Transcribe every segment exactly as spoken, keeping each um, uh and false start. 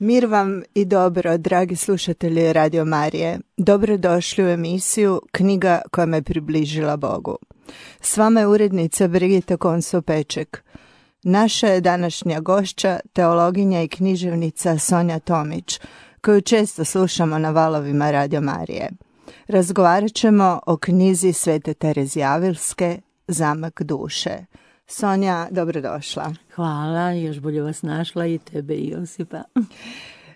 Mir vam i dobro, dragi slušatelji Radio Marije. Dobrodošli u emisiju Knjiga koja me približila Bogu. S vama je urednica Brigita Konso-Peček. Naša je današnja gošća, teologinja i književnica Sonja Tomić, koju često slušamo na valovima Radio Marije. Razgovarat ćemo o knjizi Svete Terezije Avilske, Zamak duše. Sonja, dobrodošla. Hvala, još bolje vas našla i tebe i Josipa.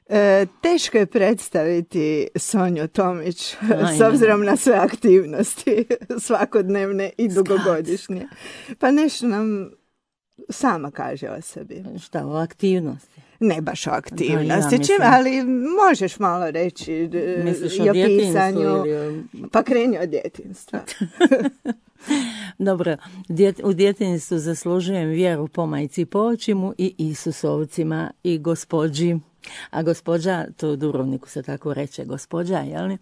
E, teško je predstaviti Sonju Tomić Ajme. S obzirom na sve aktivnosti svakodnevne i dugogodišnje. Pa nešto nam sama kaže o sebi. Šta, o aktivnosti? Ne baš o aktivnosti, Da, ja čim, ali možeš malo reći Misliš i o o pisanju. ili o... Pa kreni od djetinjstva. Dobro, djet, u djetinjstvu zaslužujem vjeru po majci i po očimu i Isusovcima i gospođi. A gospođa, to u Dubrovniku se tako reče, gospođa, jel?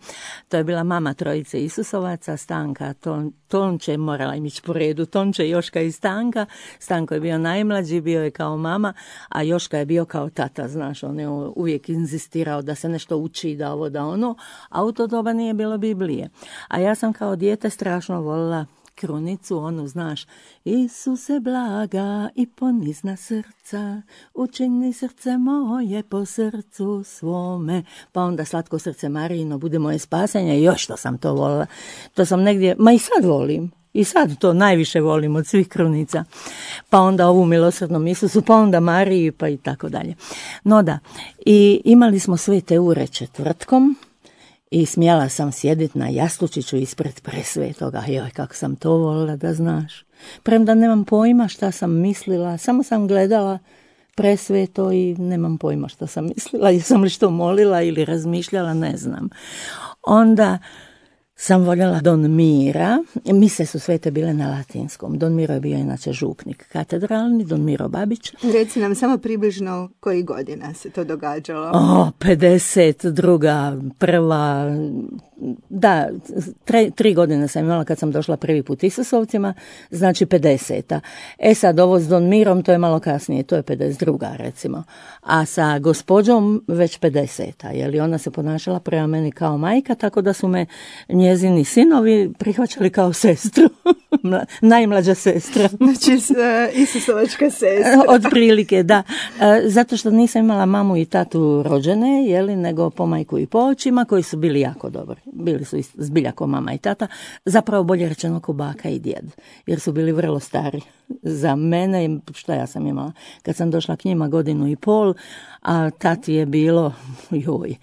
To je bila mama trojice Isusovaca, Stanka, Ton, Tonče, morala im ići po redu, Tonče, Joška i Stanka. Stanko je bio najmlađi, bio je kao mama, a Joška je bio kao tata, znaš, on je uvijek inzistirao da se nešto uči, da ovo, da ono, a u to doba nije bilo Biblije. A ja sam kao dijete strašno volila krunicu, onu, znaš, Isuse blaga i ponizna srca, učini srce moje po srcu svome, pa onda slatko srce Marijino, bude moje spasenje, još što sam to volila. To sam negdje, ma i sad volim. I sad to najviše volim od svih krunica. Pa onda ovu milosrdnom Isusu, pa onda Mariji, pa i tako dalje. No da, i imali smo svete ure četvrtkom, i smjela sam sjediti na jastučiću ispred presvetoga. Joj, kako sam to volila da znaš. Premda nemam pojma šta sam mislila, samo sam gledala presveto i nemam pojma šta sam mislila. Jesam li što molila ili razmišljala, ne znam. Onda sam voljela Don Mira. Mise su svete bile na latinskom. Don Miro je bio inače župnik katedralni, Don Miro Babić. Reci nam samo približno koji godina se to događalo. O, pedeset druga, prva, da, tre, tri godine sam imala kad sam došla prvi put Isusovcima, znači pedeseta. E sad, ovo s Don Mirom, to je malo kasnije, to je pedeset druga recimo. A sa gospođom već pedeseta, jer ona se ponašala prema meni kao majka, tako da su me njezini sinovi prihvaćali kao sestru, najmlađa sestra. Znači, uh, Isusovačka sestra. Otprilike, da. Zato što nisam imala mamu i tatu rođene, jeli, nego po majku i po očima, koji su bili jako dobri. Bili su zbilja ko mama i tata, zapravo bolje rečeno ko baka i djed, jer su bili vrlo stari za mene. Šta ja sam imala? Kad sam došla k njima godinu i pol, a tati je bilo, joj,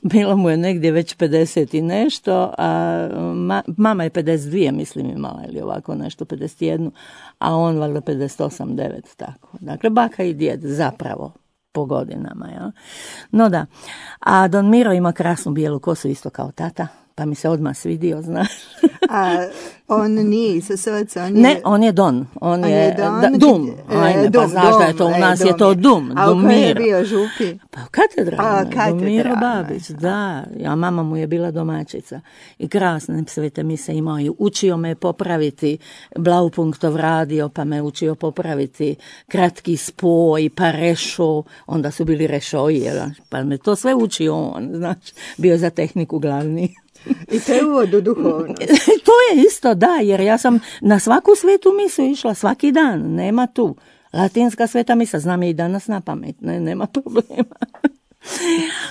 bilo mu je negdje već pedeset i nešto, a ma, mama je pedeset dvije, mislim, imala, ili ovako nešto, pedeset jednu, a on valjda pedeset osam, devet, tako. Dakle, baka i djed zapravo po godinama, ja. No da, a Don Miro ima krasnu bijelu kosu isto kao tata, pa mi se odmah svidio, znaš. A on nije Isusovac, on je... Ne, on je Don. On, on je, je Don, da, Dum. Ajme, dum, pa znaš dum, da je to, u nas e, je to Dum. A u kojoj je bio župi? Pa katedralno. Don Miro Babić, da. A mama mu je bila domaćica. I krasne svete mise imao i učio me popraviti Blaupunktov radio, pa me učio popraviti kratki spoj, pa rešo. Onda su bili rešoji, pa me to sve učio on, znaš. Bio je za tehniku glavni. I to je uvod u duhovnost. To je isto, da, jer ja sam na svaku svetu misu išla svaki dan, nema tu. Latinska sveta misa, znam je i danas na pamet, ne, nema problema.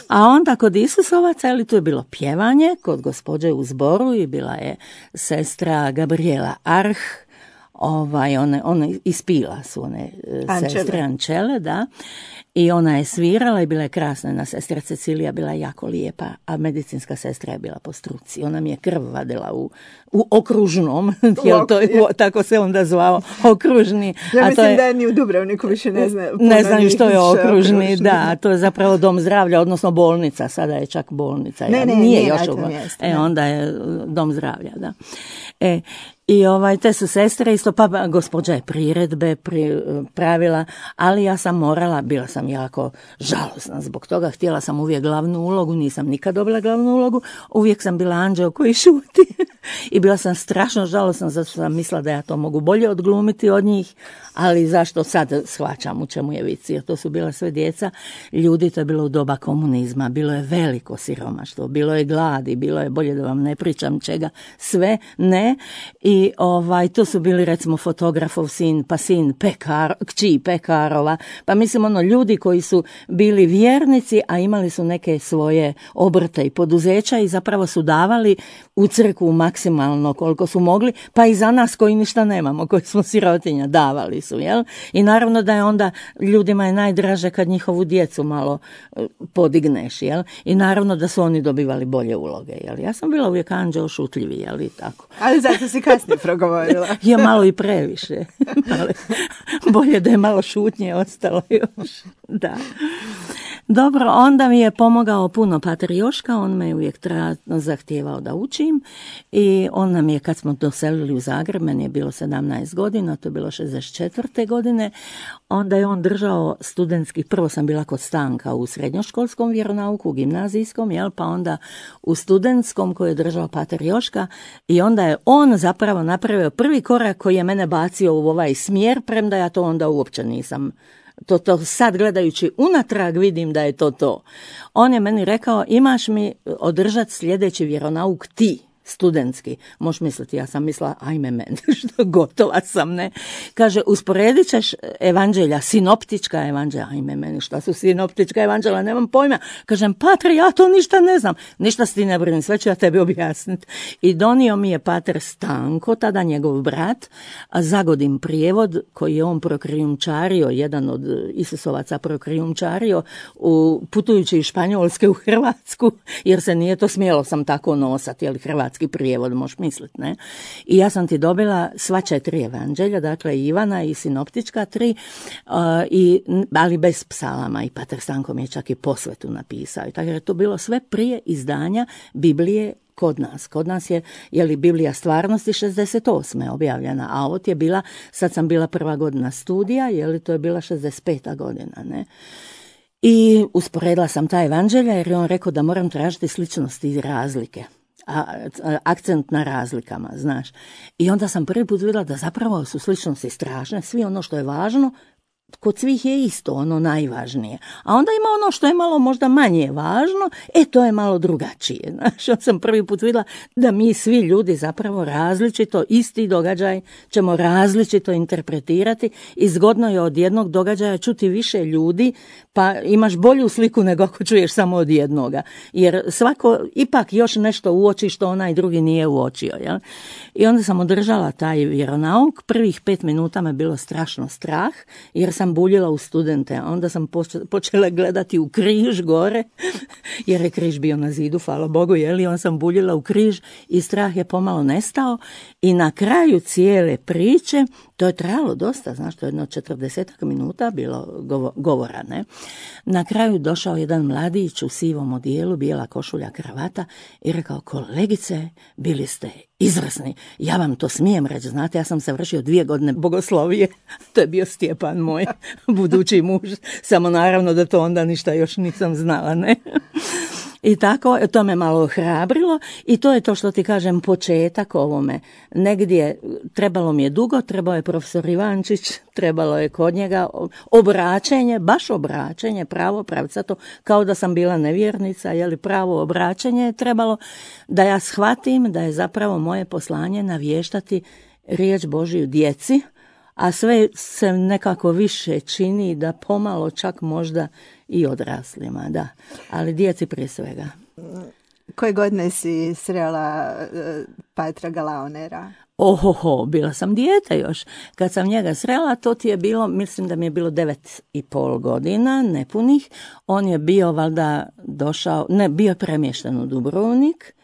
A onda kod Isusovaca, ali tu je bilo pjevanje, kod gospođe u zboru i bila je sestra Gabriela Arh, ovaj, one, one ispila su one Ančele. Sestre Ančele, da. I ona je svirala i bila je krasna. Jedna sestra Cecilija bila jako lijepa, a medicinska sestra je bila po struci. Ona mi je krv vadila u, u okružnom, jel to, u, tako se onda zvao, okružni. Ja a mislim to je, da ni u Dubrovniku više ne zna. Ne znam što je okružni, okružni, da, to je zapravo dom zdravlja, odnosno bolnica, sada je čak bolnica. Ne, ja, ne, nije, nije još na tom mjestu. E, onda je dom zdravlja, da. E, I ovaj, te su sestre isto, pa gospođa je priredbe pri, pravila, ali ja sam morala, bila sam jako žalosna zbog toga, htjela sam uvijek glavnu ulogu, nisam nikad dobila glavnu ulogu, uvijek sam bila anđeo koji šuti i bila sam strašno žalosna zato što sam mislila da ja to mogu bolje odglumiti od njih, ali zašto sad shvaćam u čemu je vic, jer to su bila sve djeca ljudi, to je bilo u doba komunizma, bilo je veliko siromaštvo, bilo je gladi, bilo je, bolje da vam ne pričam čega, sve ne. I ovaj, to su bili recimo fotografov sin, pa sin pekar, kći pekarova, pa mislim ono ljudi koji su bili vjernici, a imali su neke svoje obrte i poduzeća i zapravo su davali u crkvu maksimalno koliko su mogli, pa i za nas koji ništa nemamo, koji smo sirotinja, davali su, jel? I naravno da je onda ljudima je najdraže kad njihovu djecu malo podigneš, jel? I naravno da su oni dobivali bolje uloge, jel? Ja sam bila uvijek anđeo šutljivi, jel? I tako. Ali zato si kasnije progovorila. Je malo i previše. Bolje da je malo šutnje ostalo još. Da. Dobro, onda mi je pomogao puno pater Joška, on me uvijek tra- zahtijevao da učim i on nam je, kad smo doselili u Zagreb, meni je bilo sedamnaest godina, to je bilo šezdeset četvrte godine, onda je on držao studentski, prvo sam bila kod Stanka u srednjoškolskom vjeronauku, u gimnazijskom, jel, pa onda u studentskom koji je držao pater Joška i onda je on zapravo napravio prvi korak koji je mene bacio u ovaj smjer, premda ja to onda uopće nisam. To, to sad gledajući unatrag vidim da je to to. On je meni rekao, imaš mi održati sljedeći vjeronauk ti, studentski. Možeš misliti, ja sam mislila, ajme meni, što gotova sam, ne. Kaže, usporedit ćeš evanđelja, sinoptička evanđelja, ajme meni, šta su sinoptička evanđelja, nemam pojma. Kažem, pater, ja to ništa ne znam. Ništa si ti ne brini, sve ću ja tebi objasniti. I donio mi je pater Stanko, tada njegov brat, a Zagodin prijevod, koji je on prokrijumčario, jedan od Isusovaca prokrijumčario, u, putujući iz Španjolske u Hrvatsku, jer se nije to smjelo sam tako nosati, jel Hrvatski prijevod, možeš misliti, ne? I ja sam ti dobila sva četiri evanđelja, dakle Ivana i sinoptička tri, uh, i, ali bez psalama, i pater Stanko mi je čak i posvetu napisao. I tako je to bilo sve prije izdanja Biblije kod nas. Kod nas je, je li Biblija stvarnosti šezdeset osme objavljena, a ovo je bila, sad sam bila prva godina studija, je li to je bila šezdeset peta godina, ne? I usporedila sam ta evanđelja jer je on rekao da moram tražiti sličnosti i razlike. A, akcent na razlikama, znaš. I onda sam prvi put vidjela da zapravo su sličnosti strašne, svi ono što je važno, kod svih je isto ono najvažnije. A onda ima ono što je malo možda manje važno, e to je malo drugačije. Znaš, ja sam prvi put vidjela da mi svi ljudi zapravo različito, isti događaj ćemo različito interpretirati i zgodno je od jednog događaja čuti više ljudi, pa imaš bolju sliku nego ako čuješ samo od jednoga. Jer svako ipak još nešto uoči što onaj drugi nije uočio. Jel? I onda sam održala taj vjeronauk. Prvih pet minuta me bilo strašno strah, jer sam buljila u studente. Onda sam počela gledati u križ gore, jer je križ bio na zidu, hvala Bogu, jeli, on sam buljila u križ i strah je pomalo nestao. I na kraju cijele priče, to je trajalo dosta, znaš, to je jedno četrdesetak minuta bilo govora, ne? Na kraju došao jedan mladić u sivom odijelu, bijela košulja, kravata i rekao, kolegice, bili ste izvrsni, ja vam to smijem reći, znate, ja sam se vršio dvije godine bogoslovije, to je bio Stjepan moj budući muž, samo naravno da to onda ništa još nisam znala, ne? I tako, to me malo ohrabrilo i to je to što ti kažem početak ovome. Negdje trebalo mi je dugo, trebao je profesor Ivančić, trebalo je kod njega obraćenje, baš obraćenje, pravo pravcato, kao da sam bila nevjernica, je li pravo obraćenje je trebalo da ja shvatim da je zapravo moje poslanje navještati riječ Božiju djeci, a sve se nekako više čini da pomalo čak možda i odraslima, da. Ali djeci prije svega. Koje godine si srela uh, Patra Galaonera? Ohoho, bila sam dijete još. Kad sam njega srela, to ti je bilo, mislim da mi je bilo devet i pol godina, nepunih. On je bio valjda došao, ne, bio premješten u Dubrovnik.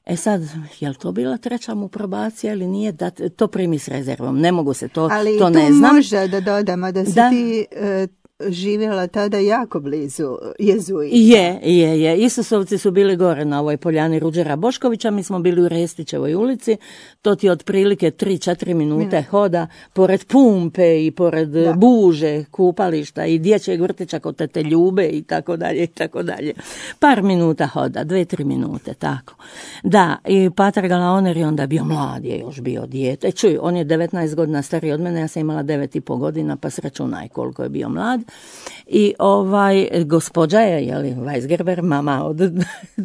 E sad, je li to bila treća mu probacija ili nije, da to primi s rezervom, ne mogu se, to, ali to ne znam. Ali tu može da dodamo da si da. ti uh, živjela tada jako blizu jezuita. Je, je, je. Isusovci su bili gore na ovoj poljani Ruđera Boškovića, mi smo bili u Restićevoj ulici, to ti otprilike tri četiri minute mm. hoda, pored pumpe i pored da. buže, kupališta i dječjeg vrtića kod tete Ljube i tako dalje i tako dalje. Par minuta hoda, dve, tri minute, tako. Da, i pater Galaoner je onda bio mlad, je još bio dijete. Čuj, on je devetnaest godina stariji od mene, ja sam imala devet i po godina, pa sračunaj koliko je bio mlad. I ovaj, gospođa je, jeli, Weisgerber, mama od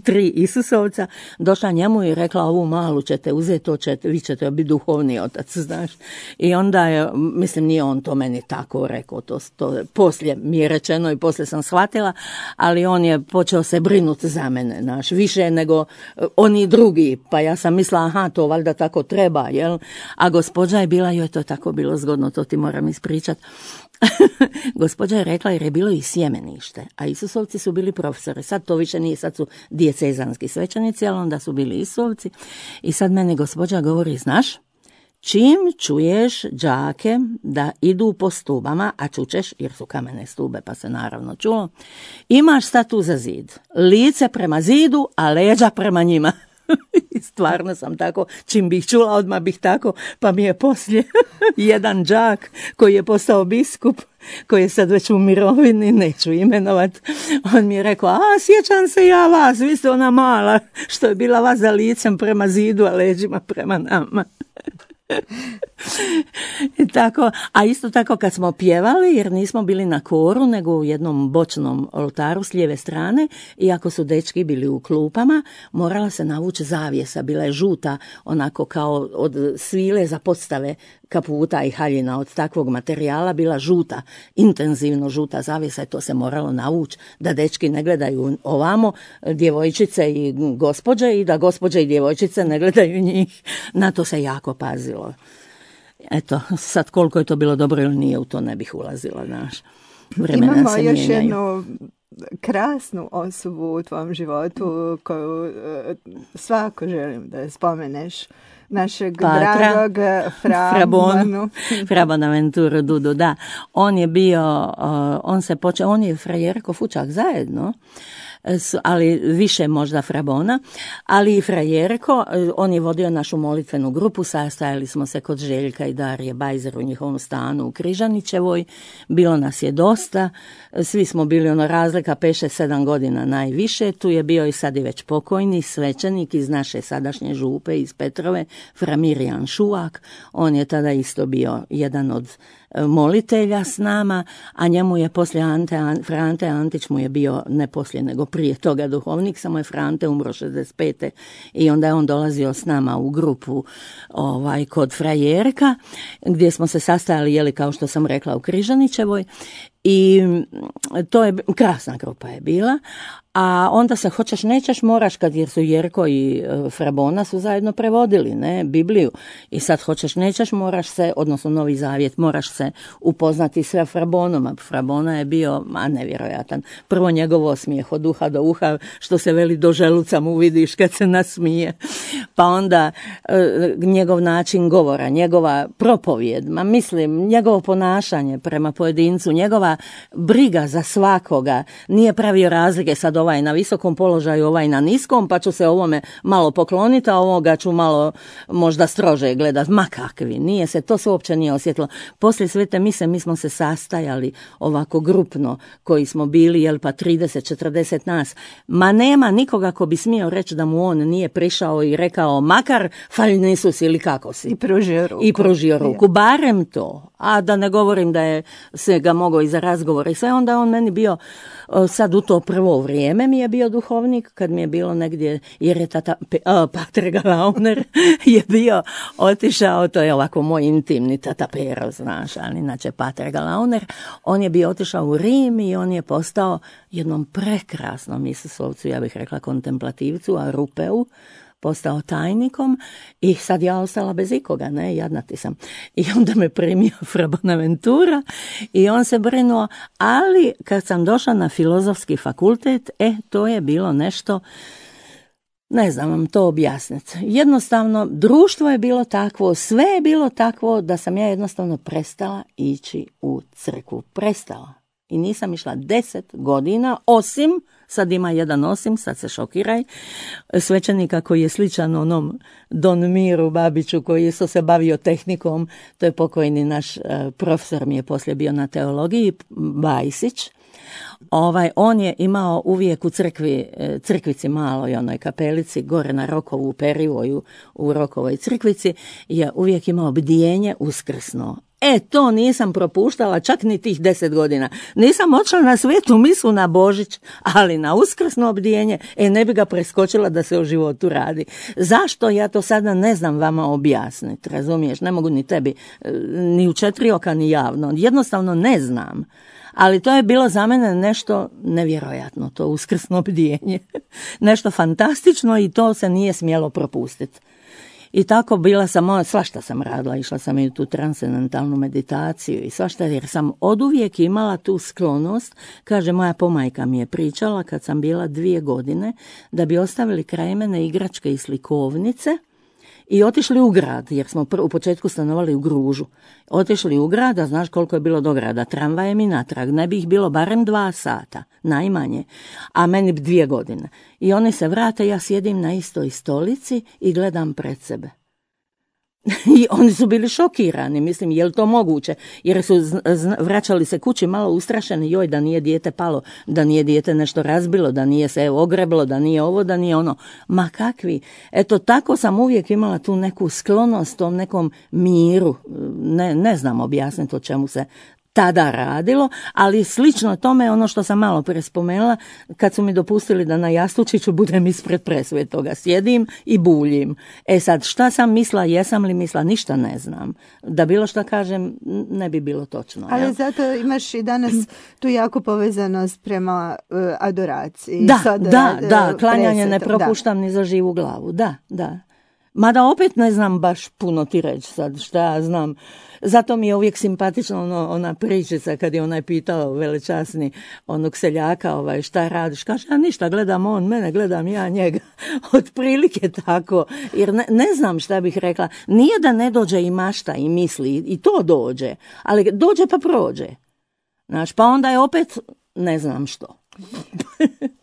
tri Isusovca, došla njemu i rekla, ovu malu ćete uzeti, to ćete, vi ćete biti duhovni otac, znaš. I onda je, mislim, nije on to meni tako rekao, to, to poslije mi je rečeno i poslije sam shvatila, ali on je počeo se brinuti za mene, znaš, više nego oni drugi, pa ja sam mislila, aha, to valjda tako treba, jel? A gospođa je bila, joj, to je tako bilo zgodno, to ti moram ispričati. Gospođa je rekla jer je bilo i sjemenište, a Isusovci su bili profesori. Sad to više nije, sad su dijecezanski svećenici, ali onda su bili Isusovci. I sad meni gospođa govori, znaš, čim čuješ đake da idu po stubama, a čučeš, jer su kamene stube, pa se naravno čulo, imaš statu za zid, lice prema zidu, a leđa prema njima. I stvarno sam tako, čim bih čula, odmah bih tako, pa mi je poslije jedan đak koji je postao biskup, koji je sad već u mirovini, neću imenovat, on mi je rekao, a sjećam se ja vas, vi ste ona mala što je bila vas za licem prema zidu, a leđima prema nama. I tako, a isto tako kad smo pjevali, jer nismo bili na koru nego u jednom bočnom oltaru s lijeve strane, i ako su dečki bili u klupama, morala se navući zavjesa, bila je žuta, onako kao od svile za podstave kaputa i haljina, od takvog materijala bila žuta, intenzivno žuta zavjesa, i to se moralo navući da dečki ne gledaju ovamo djevojčice i gospođe i da gospođe i djevojčice ne gledaju njih. Na to se jako pazilo. Eto, sad koliko je to bilo dobro ili nije, u to ne bih ulazila, znaš. Vremena Imamo se još mijenjaju. jednu krasnu osobu u tvom životu koju svako želim da je spomeneš. Našeg Patra, dragog Frabonu. Fra Bonaventura Dudu, da. On je bio, uh, on se počeo, on je frajerko Fučak zajedno, ali više možda Frabona, ali i frajerko, on je vodio našu molitvenu grupu, sastajali smo se kod Željka i Darije Bajzer u njihovom stanu u Križanićevoj, bilo nas je dosta, svi smo bili ono razlika pet šest sedam godina najviše, tu je bio i sad i već pokojni svećenik iz naše sadašnje župe iz Petrove, fra Mirjan Šuvak, on je tada isto bio jedan od molitelja s nama, a njemu je poslije Ante, Fra Ante Antić mu je bio ne poslije nego prije toga duhovnik, samo je Fra Ante umro šezdeset pete i onda je on dolazio s nama u grupu ovaj, kod frajerka, gdje smo se sastajali, jeli, kao što sam rekla, u Križanićevoj, i to je krasna grupa je bila. A onda se hoćeš nećeš moraš, kad jer su Jerko i Frabona su zajedno prevodili, ne, Bibliju, i sad hoćeš nećeš moraš se, odnosno Novi Zavjet, moraš se upoznati sve Frabonom, a Frabona je bio, a nevjerojatan, prvo njegov osmijeh od uha do uha, što se veli do želuca mu vidiš kad se nasmije, pa onda e, njegov način govora, njegova propovjed, ma mislim, njegovo ponašanje prema pojedincu, njegova briga za svakoga, nije pravio razlike, sad ovaj na visokom položaju, ovaj na niskom, pa ću se ovome malo pokloniti, a ovoga ću malo možda strože gledat. Ma kakvi, nije se, to se uopće nije osjetilo. Poslije svete mise mi smo se sastajali ovako grupno, koji smo bili, jel pa trideset četrdeset nas. Ma nema nikoga ko bi smio reći da mu on nije prišao i rekao, makar falj Isus ili kako si. I pružio ruku. I pružio ruku, barem to. A da ne govorim da je se ga mogao i za razgovor i sve, onda on meni bio sad u to prvo vrijeme mi je bio duhovnik, kad mi je bilo negdje, jer je tata, uh, Pater Galaoner je bio otišao, to je ovako moj intimni tata Pero, znaš, ali inače Pater Galaoner, on je bio otišao u Rim i on je postao jednom prekrasnom Isusovcu, ja bih rekla kontemplativcu, a Rupeu, postao tajnikom i sad ja ostala bez ikoga, ne, jadnati sam. I onda me primio Fra Bonaventura i on se brinuo, ali kad sam došla na filozofski fakultet, e, to je bilo nešto, ne znam vam to objasniti. Jednostavno, društvo je bilo takvo, sve je bilo takvo da sam ja jednostavno prestala ići u crkvu. Prestala. I nisam išla deset godina, osim, sad ima jedan osim, sad se šokiraj, svećenika koji je sličan onom Don Miru Babiću koji je se bavio tehnikom, to je pokojni naš uh, profesor, mi je poslije bio na teologiji, Bajsić. Ovaj, on je imao uvijek u crkvi, crkvici maloj, onoj kapelici, gore na Rokovu, u Perivoju, u Rokovoj crkvici, je uvijek imao bdijenje uskrsno. E, to nisam propuštala čak ni tih deset godina. Nisam odšla na svetu misu na Božić, ali na uskrsno bdijenje, e, ne bi ga preskočila da se o životu radi. Zašto? Ja to sada ne znam vama objasniti, razumiješ? Ne mogu ni tebi, ni u četiri oka, ni javno. Jednostavno ne znam. Ali to je bilo za mene nešto nevjerojatno, to uskrsno bdijenje. Nešto fantastično i to se nije smjelo propustiti. I tako bila sam, svašta sam radila, išla sam i u tu transcendentalnu meditaciju i svašta, jer sam oduvijek imala tu sklonost, kaže moja pomajka mi je pričala kad sam bila dvije godine, da bi ostavili kraj mene igračke i slikovnice i otišli u grad, jer smo u početku stanovali u Gružu. Otišli u grad, a znaš koliko je bilo do grada, tramvajem i natrag, ne bi ih bilo barem dva sata, najmanje, a meni dvije godine. I oni se vrate, ja sjedim na istoj stolici i gledam pred sebe. I oni su bili šokirani, mislim, je li to moguće, jer su vraćali se kući malo ustrašeni, joj, da nije dijete palo, da nije dijete nešto razbilo, da nije se ogreblo, da nije ovo, da nije ono. Ma kakvi? Eto, tako sam uvijek imala tu neku sklonost, tom nekom miru, ne, ne znam objasniti o čemu se tada radilo, ali slično tome je ono što sam malo prije spomenula, kad su mi dopustili da na jastučiću budem ispred presvetoga, sjedim i buljim. E sad, šta sam mislila, jesam li mislila, ništa ne znam. Da bilo što kažem, ne bi bilo točno. Ali jel? Zato imaš i danas tu jako povezanost prema uh, adoraciji. Da, Sada, da, da, klanjanje ne presetom, propuštam da. Ni za živu glavu, da, da. Mada opet ne znam baš puno ti reći sad, šta ja znam. Zato mi je uvijek simpatično ono, ona pričica kad je onaj pitao velečasni onog seljaka ovaj, šta radiš. Kaže, ja ništa, gledam on mene, gledam ja njega. Otprilike tako, jer ne, ne znam šta bih rekla. Nije da ne dođe i mašta i misli, i to dođe, ali dođe pa prođe. Znaš, pa onda je opet ne znam što.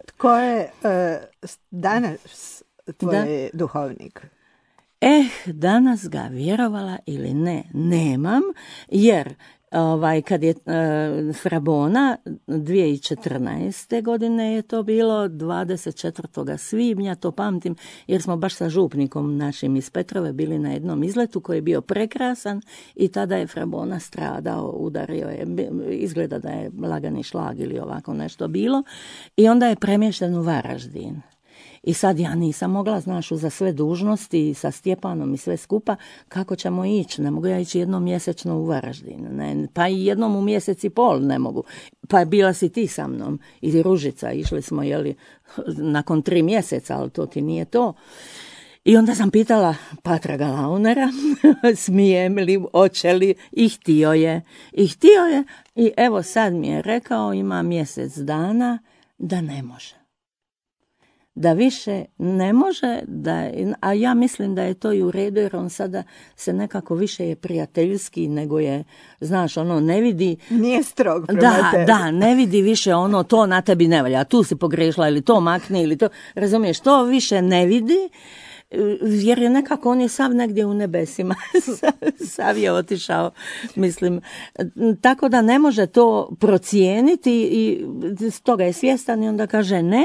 Tko je uh, danas tvoj da. duhovnik? Eh, danas ga, vjerovala ili ne, nemam, jer ovaj, kad je e, Frabona dvije tisuće četrnaeste. godine je to bilo, dvadeset četvrtog svibnja, to pamtim, jer smo baš sa župnikom našim iz Petrove bili na jednom izletu koji je bio prekrasan i tada je Frabona stradao, udario je, izgleda da je lagani šlag ili ovako nešto bilo i onda je premješten u Varaždin. I sad ja nisam mogla, znaš, za sve dužnosti sa Stjepanom i sve skupa, kako ćemo ići? Ne mogu ja ići jednom mjesečno u Varaždin, ne, pa i jednom u mjesec i pol ne mogu. Pa bila si ti sa mnom i Ružica, išli smo, jeli, nakon tri mjeseca, ali to ti nije to. I onda sam pitala Patra Galaunera, smijem li, hoće li, i htio je. I htio je, i evo sad mi je rekao, ima mjesec dana, da ne može. Da više ne može, da, a ja mislim da je to i u redu, jer on sada se nekako više je prijateljski nego je, znaš, ono ne vidi... Nije strog prema da, tebi. Da, ne vidi više ono, to na tebi ne valja, tu si pogrešila ili to makni ili to, razumiješ, to više ne vidi, jer je nekako, on je sav negdje u nebesima, sav je otišao, mislim, tako da ne može to procijeniti i toga je svjestan i onda kaže ne.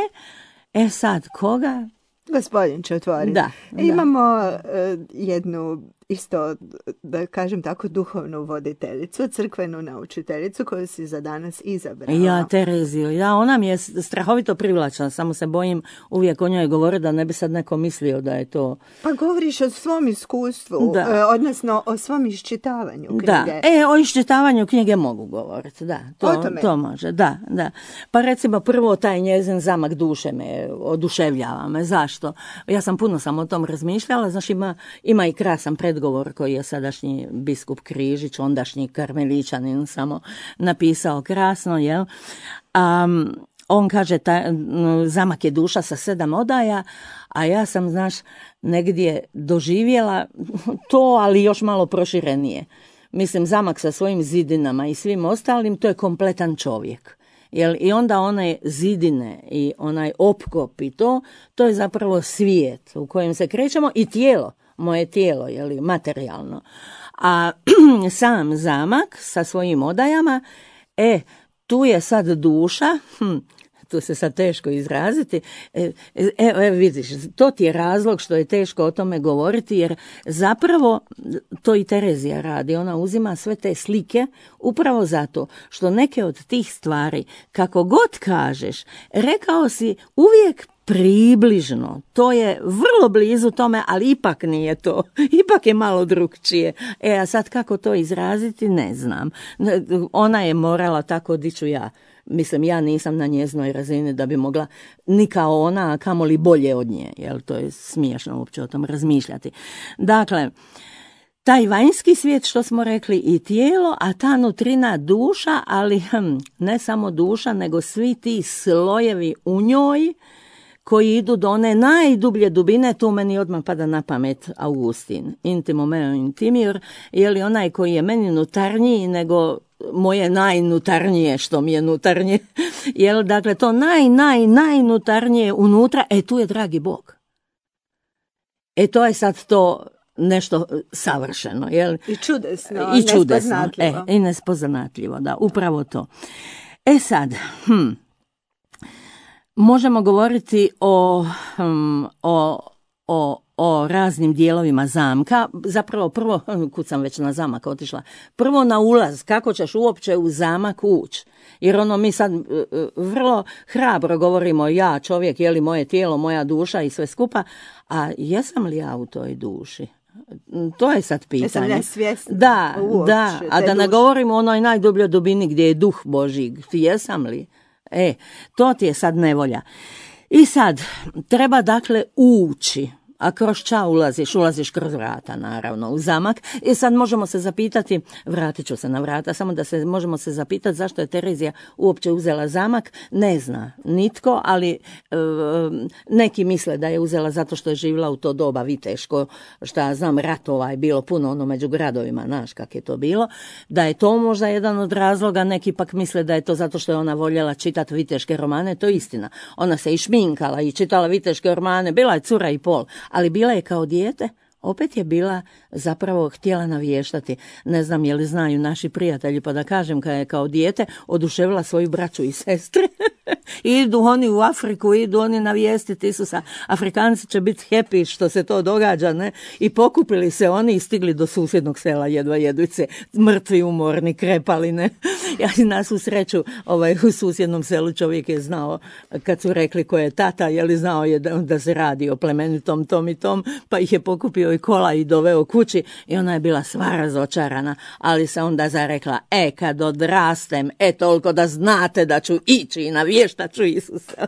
E sad, koga? Gospodin će otvoriti. Da, da. Imamo uh, jednu, isto, da kažem tako, duhovnu voditeljicu, crkvenu naučiteljicu koju si za danas izabrala. Ja, Tereziju, ja, ona mi je strahovito privlačna, samo se bojim uvijek o njoj govoriti da ne bi sad neko mislio da je to... Pa govoriš o svom iskustvu, da. uh, odnosno o svom iščitavanju knjige. Da, e, o iščitavanju knjige mogu govoriti, da, to, to može, da, da. Pa recimo prvo taj njezin zamak duše me oduševljava me, zašto? Ja sam puno sam o tom razmišljala, znaš, ima, ima i krasan predgovor koji je sadašnji biskup Križić, ondašnji karmeličanin, samo napisao krasno, jel? Um, on kaže, ta, zamak je duša sa sedam odaja, a ja sam, znaš, negdje doživjela to, ali još malo proširenije. mislim zamak sa svojim zidinama i svim ostalim, to je kompletan čovjek. Jel, i onda one zidine i onaj opkop i to, to je zapravo svijet u kojem se krećemo i tijelo, moje tijelo, jel, materijalno. A sam zamak sa svojim odajama, e, tu je sad duša, hm, tu se sad teško izraziti, e, evo e, vidiš, to ti je razlog što je teško o tome govoriti, jer zapravo to i Terezija radi, ona uzima sve te slike upravo zato što neke od tih stvari, kako god kažeš, rekao si uvijek približno, to je vrlo blizu tome, ali ipak nije to, ipak je malo drukčije. E, a sad kako to izraziti, ne znam. Ona je morala tako, di ću ja. Mislim, ja nisam na njezinoj razini da bi mogla ni kao ona, a kamoli bolje od nje, jer to je smiješno uopće o tom razmišljati. Dakle, taj vanjski svijet, što smo rekli, i tijelo, a ta nutrina duša, ali hm, ne samo duša, nego svi ti slojevi u njoj, koji idu do one najdublje dubine, tu meni odmah pada na pamet Augustin, intimo meo intimior, je li onaj koji je meni nutarniji nego moje najnutarnije, što mi je nutarnje, jel, dakle, to naj, naj, najnutarnije unutra, e, tu je dragi Bog. E, to je sad to nešto savršeno, jel? I čudesno, i čudesno, nespoznatljivo. E, i nespoznatljivo, da, upravo to. E sad, hm, možemo govoriti o, hm, o, o, o raznim dijelovima zamka. Zapravo prvo, kud sam već na zamak otišla, prvo na ulaz, kako ćeš uopće u zamak ući. Jer ono, mi sad vrlo hrabro govorimo, ja čovjek, je li moje tijelo, moja duša i sve skupa, a jesam li ja u toj duši? To je sad pitanje. Jesam ja svjesna? Da, uopće, da, a da ne govorimo o onoj najdubljoj dubini gdje je duh Božji, jesam li? E, to ti je sad nevolja. I sad, treba dakle ući, a kroz ča ulaziš? Ulaziš kroz vrata, naravno, u zamak. I sad možemo se zapitati, vratit ću se na vrata, samo da se možemo se zapitati zašto je Terezija uopće uzela zamak. Ne zna nitko, ali e, neki misle da je uzela zato što je živjela u to doba viteško, šta znam, ratova je bilo puno ono među gradovima, znaš kak je to bilo, da je to možda jedan od razloga, neki pak misle da je to zato što je ona voljela čitati viteške romane, to je istina. Ona se i šminkala i čitala viteške romane, bila je cura i pol, ali bila je kao dijete, opet je bila zapravo htjela navještati. Ne znam je li znaju naši prijatelji, pa da kažem, kad je kao dijete oduševila svoju braću i sestre. Idu oni u Afriku, idu oni navijestiti Isusa. Afrikanci će biti happy što se to događa, ne? I pokupili se oni i stigli do susjednog sela, jedva jeduće, mrtvi, umorni, krepali, ne? Ja nas u sreću, ovaj, u susjednom selu čovjek je znao, kad su rekli ko je tata, je li znao je da, da se radi o plemenitom tom i tom, pa ih je pokupio i kola i doveo kući i ona je bila sva razočarana, ali se onda zarekla, e, kad odrastem, e, toliko da znate da ću ići i navještat ću Isusa.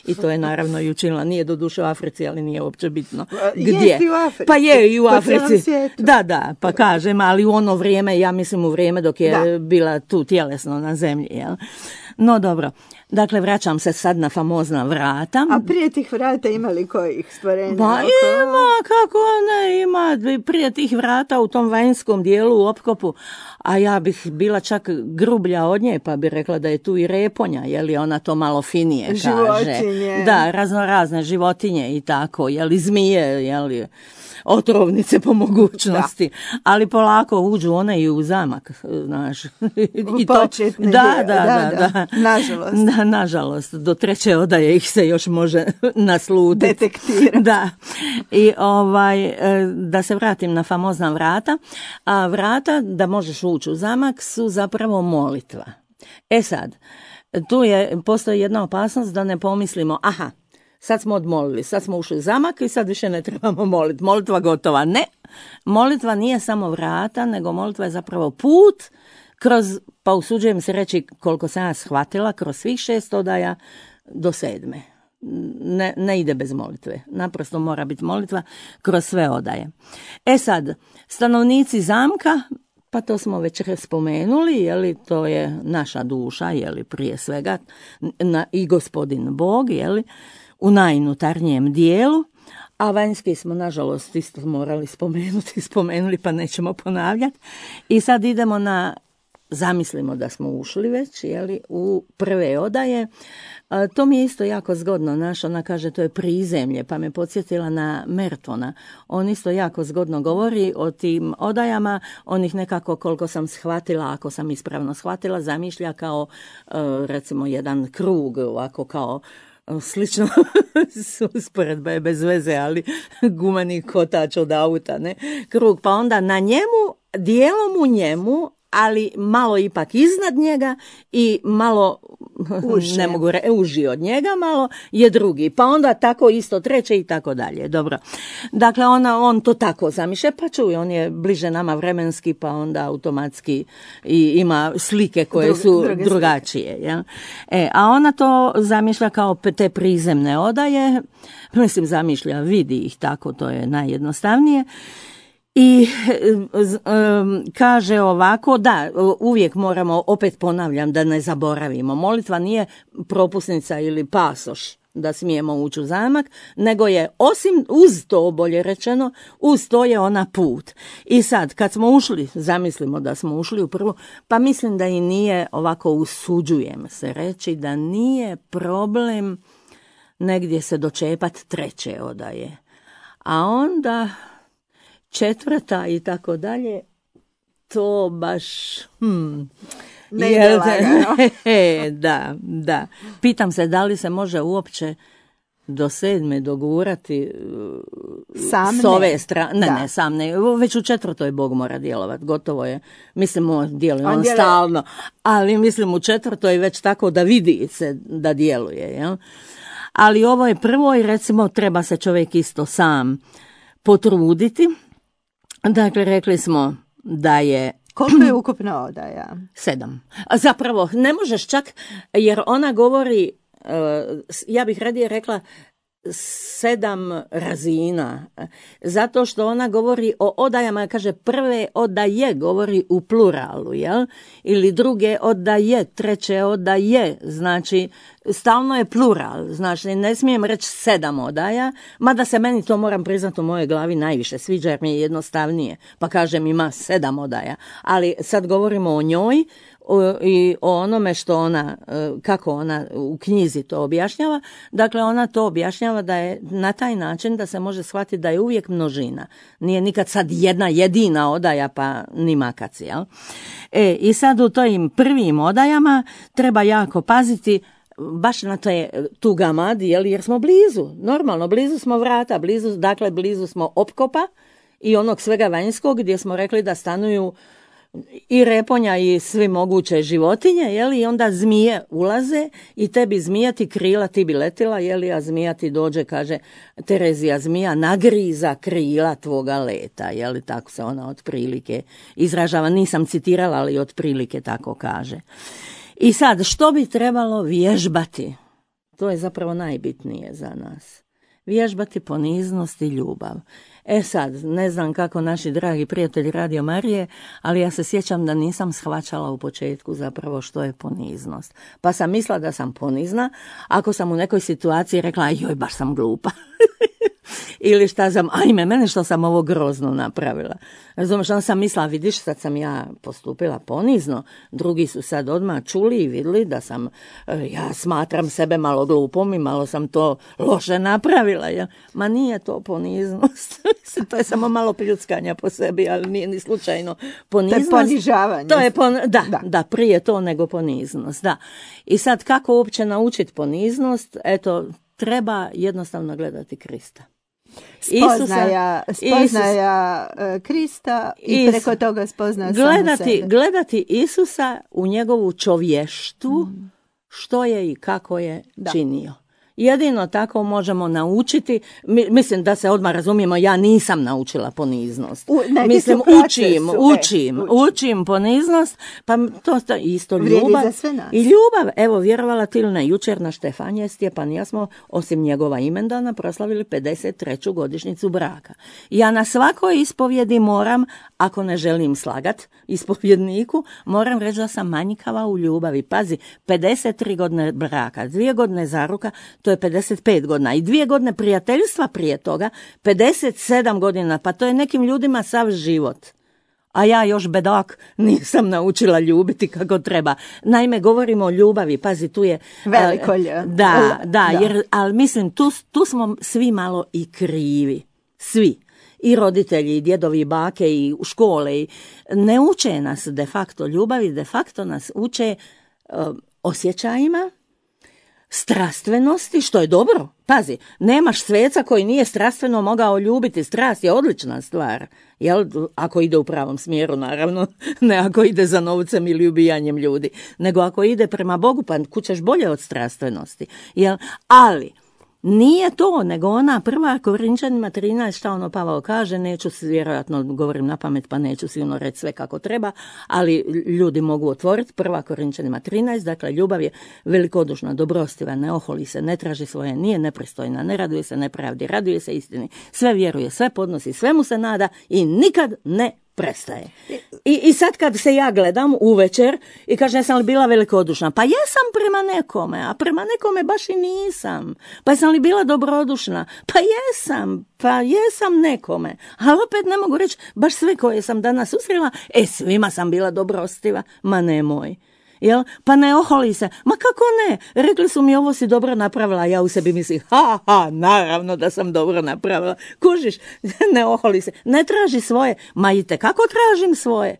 I to je naravno i učinila, nije do duše u Africi, ali nije uopće bitno. Gdje? Jest i u Africi. Pa je i u Africi. Da, da, pa kažem, ali u ono vrijeme, ja mislim u vrijeme dok je da. bila tu tjelesno na zemlji, jel? No dobro, dakle vraćam se sad na famozna vrata. A prije tih vrata ima li kojih stvorenja? Ba ima, kako ne ima, prije tih vrata u tom vanjskom dijelu u opkopu, a ja bih bila čak grublja od nje, pa bi rekla da je tu i reponja, je li ona to malo finije kaže. Životinje. Da, razno razne životinje i tako, je li zmije, je li otrovnice po mogućnosti, da. Ali polako uđu one i u zamak, znaš. I to, početne da, je, da, da, da, da, nažalost. Da, nažalost, do treće odaje ih se još može nasluditi. Detektirati. Da, i ovaj, da se vratim na famozna vrata, a vrata da možeš ući u zamak su zapravo molitva. E sad, tu je, postoji jedna opasnost da ne pomislimo, aha, sad smo odmolili, sad smo ušli u zamak i sad više ne trebamo moliti. Molitva gotova. Ne, molitva nije samo vrata, nego molitva je zapravo put kroz, pa usuđujem se reći koliko sam ja shvatila, kroz svih šest odaja do sedme. Ne, ne ide bez molitve. Naprosto mora biti molitva kroz sve odaje. E sad, stanovnici zamka, pa to smo već spomenuli, je li, to je naša duša, je li, prije svega, na, i gospodin Bog, je li, u najnutarnjem dijelu, a vanjski smo, nažalost, isto morali spomenuti, spomenuli, pa nećemo ponavljati. I sad idemo na, zamislimo da smo ušli već, jeli, u prve odaje. A, to mi je isto jako zgodno, naš, ona kaže to je prizemlje, pa me podsjetila na Mertona. On isto jako zgodno govori o tim odajama, on ih nekako, koliko sam shvatila, ako sam ispravno shvatila, zamišlja kao, recimo, jedan krug, ovako kao, slično, usporedba je bez veze, ali gumeni kotač od auta, ne, krug, pa onda na njemu, dijelom u njemu, ali malo ipak iznad njega i malo, uži. ne mogu re, uži od njega, malo je drugi, pa onda tako isto treće i tako dalje. Dobro. Dakle, ona, on to tako zamišlja, pa čuj, on je bliže nama vremenski, pa onda automatski i ima slike koje Drug, su drugačije. Ja? E, a ona to zamišlja kao te prizemne odaje, mislim zamišlja, vidi ih tako, to je najjednostavnije. I um, kaže ovako, da, uvijek moramo, opet ponavljam da ne zaboravimo, molitva nije propusnica ili pasoš da smijemo ući u zamak, nego je osim uz to, bolje rečeno, uz to je ona put. I sad, kad smo ušli, zamislimo da smo ušli u prvu, pa mislim da i nije, ovako usuđujem se reći, da nije problem negdje se dočepat treće odaje. A onda četvrta i tako dalje, to baš... Hmm, ne ide lagano. Da, da. Pitam se da li se može uopće do sedme dogurati sam s ove strane. Ne, da. ne, sam ne. Već u četvrtoj Bog mora djelovati, gotovo je. Mislim, on djeluje, on, on djeluje stalno, ali mislim u četvrtoj već tako da vidi se da djeluje. Jel? Ali ovo je prvo i recimo treba se čovjek isto sam potruditi. Dakle, rekli smo da je... Koliko je ukupna odaja? Sedam. A zapravo, ne možeš čak, jer ona govori, ja bih radije rekla, sedam razina, zato što ona govori o odajama, kaže prve odaje, govori u pluralu, jel? Ili druge odaje, treće odaje, znači stalno je plural, znači ne smijem reći sedam odaja, mada se meni to, moram priznati, u mojoj glavi najviše sviđa jer mi je jednostavnije, pa kažem ima sedam odaja, ali sad govorimo o njoj i o onome što ona, kako ona u knjizi to objašnjava. Dakle, ona to objašnjava da je na taj način da se može shvatiti da je uvijek množina. Nije nikad sad jedna jedina odaja pa ni makac, jel? E, i sad u tojim prvim odajama treba jako paziti baš na te, tu gamad, jel, jer smo blizu, normalno, blizu smo vrata, blizu, dakle, blizu smo opkopa i onog svega vanjskog gdje smo rekli da stanuju i reponja i svi moguće životinje, jeli, i onda zmije ulaze i tebi zmija ti krila, ti bi letila, jeli, a zmija ti dođe, kaže Terezija, zmija nagriza krila tvoga leta, jeli, tako se ona otprilike izražava, nisam citirala, ali otprilike tako kaže. I sad, što bi trebalo vježbati? To je zapravo najbitnije za nas. Vježbati poniznost i ljubav. E sad, ne znam kako naši dragi prijatelji Radio Marije, ali ja se sjećam da nisam shvaćala u početku zapravo što je poniznost. Pa sam mislila da sam ponizna, ako sam u nekoj situaciji rekla, joj, baš sam glupa. Ili šta sam, ajme, mene što sam ovo grozno napravila. Razumiješ, onda sam mislila, vidiš, sad sam ja postupila ponizno, drugi su sad odmah čuli i vidjeli da sam, ja smatram sebe malo glupom i malo sam to loše napravila. Ja. Ma nije to poniznost. To je samo malo pljuckanja po sebi, ali nije ni slučajno poniznost. To je ponižavanje. To je pon... da, da. da, prije to nego poniznost, da. I sad kako uopće naučiti poniznost? Eto, treba jednostavno gledati Krista. Spoznaja, spoznaja Isus, Krista i Isus, preko toga spoznaja gledati, samo sebe. Gledati Isusa u njegovu čovještu, mm. što je i kako je da. činio. Jedino tako možemo naučiti, mislim da se odmah razumijemo, ja nisam naučila poniznost. U, mislim, učim, su, učim, e, učim, učim poniznost, pa to, to isto ljubav. I ljubav, evo, vjerovala ti ili ne, jučer na Štefanije Stjepanija smo, osim njegova imendana, proslavili pedeset treću godišnjicu braka. Ja na svakoj ispovjedi moram, ako ne želim slagat ispovjedniku, moram reći da sam manjkava u ljubavi. Pazi, pedeset tri godine braka, dvije godine zaruka, to to je pedeset pet godina i dvije godine prijateljstva prije toga, pedeset sedam godina, pa to je nekim ljudima sav život. A ja još bedak nisam naučila ljubiti kako treba. Naime, govorimo o ljubavi, pazi, tu je... Veliko ljubav. Da, da, jer, ali mislim, tu, tu smo svi malo i krivi. Svi. I roditelji, i djedovi, i bake, i u škole. I ne uče nas de facto ljubavi, de facto nas uče uh, osjećajima, strastvenosti, što je dobro. Pazi, nemaš sveca koji nije strastveno mogao ljubiti. Strast je odlična stvar. Jel? Ako ide u pravom smjeru, naravno. Ne ako ide za novcem ili ubijanjem ljudi. Nego ako ide prema Bogu, pa kućeš bolje od strastvenosti. Jel? Ali... nije to, nego ona prva Korinčanima trinaest, šta ono Pavao kaže, neću, vjerojatno govorim na pamet, pa neću sigurno reći sve kako treba, ali ljudi mogu otvoriti, prva Korinčanima trinaest, dakle ljubav je velikodušna, dobrostiva, ne oholi se, ne traži svoje, nije nepristojna, ne raduje se nepravdi, raduje se istini, sve vjeruje, sve podnosi, sve mu se nada i nikad ne prestaje. I, I sad kad se ja gledam uvečer i kažem jesam li bila velikodušna, pa jesam prema nekome, a prema nekome baš i nisam. Pa jesam li bila dobrodušna, pa jesam, pa jesam nekome. Ali opet ne mogu reći baš sve koje sam danas susrela, e svima sam bila dobrostiva, ma nemoj. Jel? Pa ne oholi se. Ma kako ne? Rekli su mi ovo si dobro napravila, ja u sebi mislim, ha, ha, naravno da sam dobro napravila. Kužiš, ne oholi se. Ne traži svoje. Ma i te kako tražim svoje?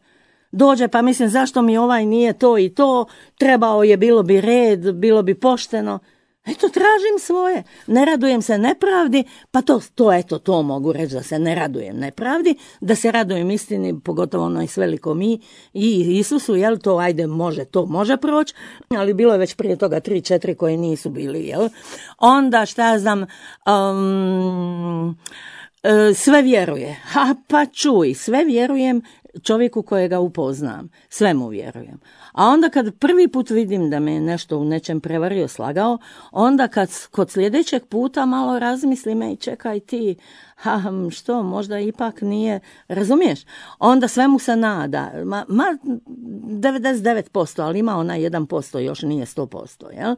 Dođe pa mislim zašto mi ovaj nije to i to, trebao je, bilo bi red, bilo bi pošteno. Eto, tražim svoje. Ne radujem se nepravdi, pa to, to eto, to mogu reći da se ne radujem nepravdi, da se radujem istini, pogotovo onoj s velikom i, i Isusu, jel to, ajde, može, to može proći, ali bilo je već prije toga tri, četiri koje nisu bili, jel? Onda, šta ja znam, um, sve vjeruje. Ha, pa čuj, sve vjerujem čovjeku kojega upoznam, sve mu vjerujem. A onda kad prvi put vidim da me nešto u nečem prevario, slagao, onda kad kod sljedećeg puta malo razmislim, ej čekaj ti, ha, što, možda ipak nije, razumiješ? Onda sve mu se nada, ma, ma devedeset devet posto, ali ima ona jedan posto, još nije sto posto, jel?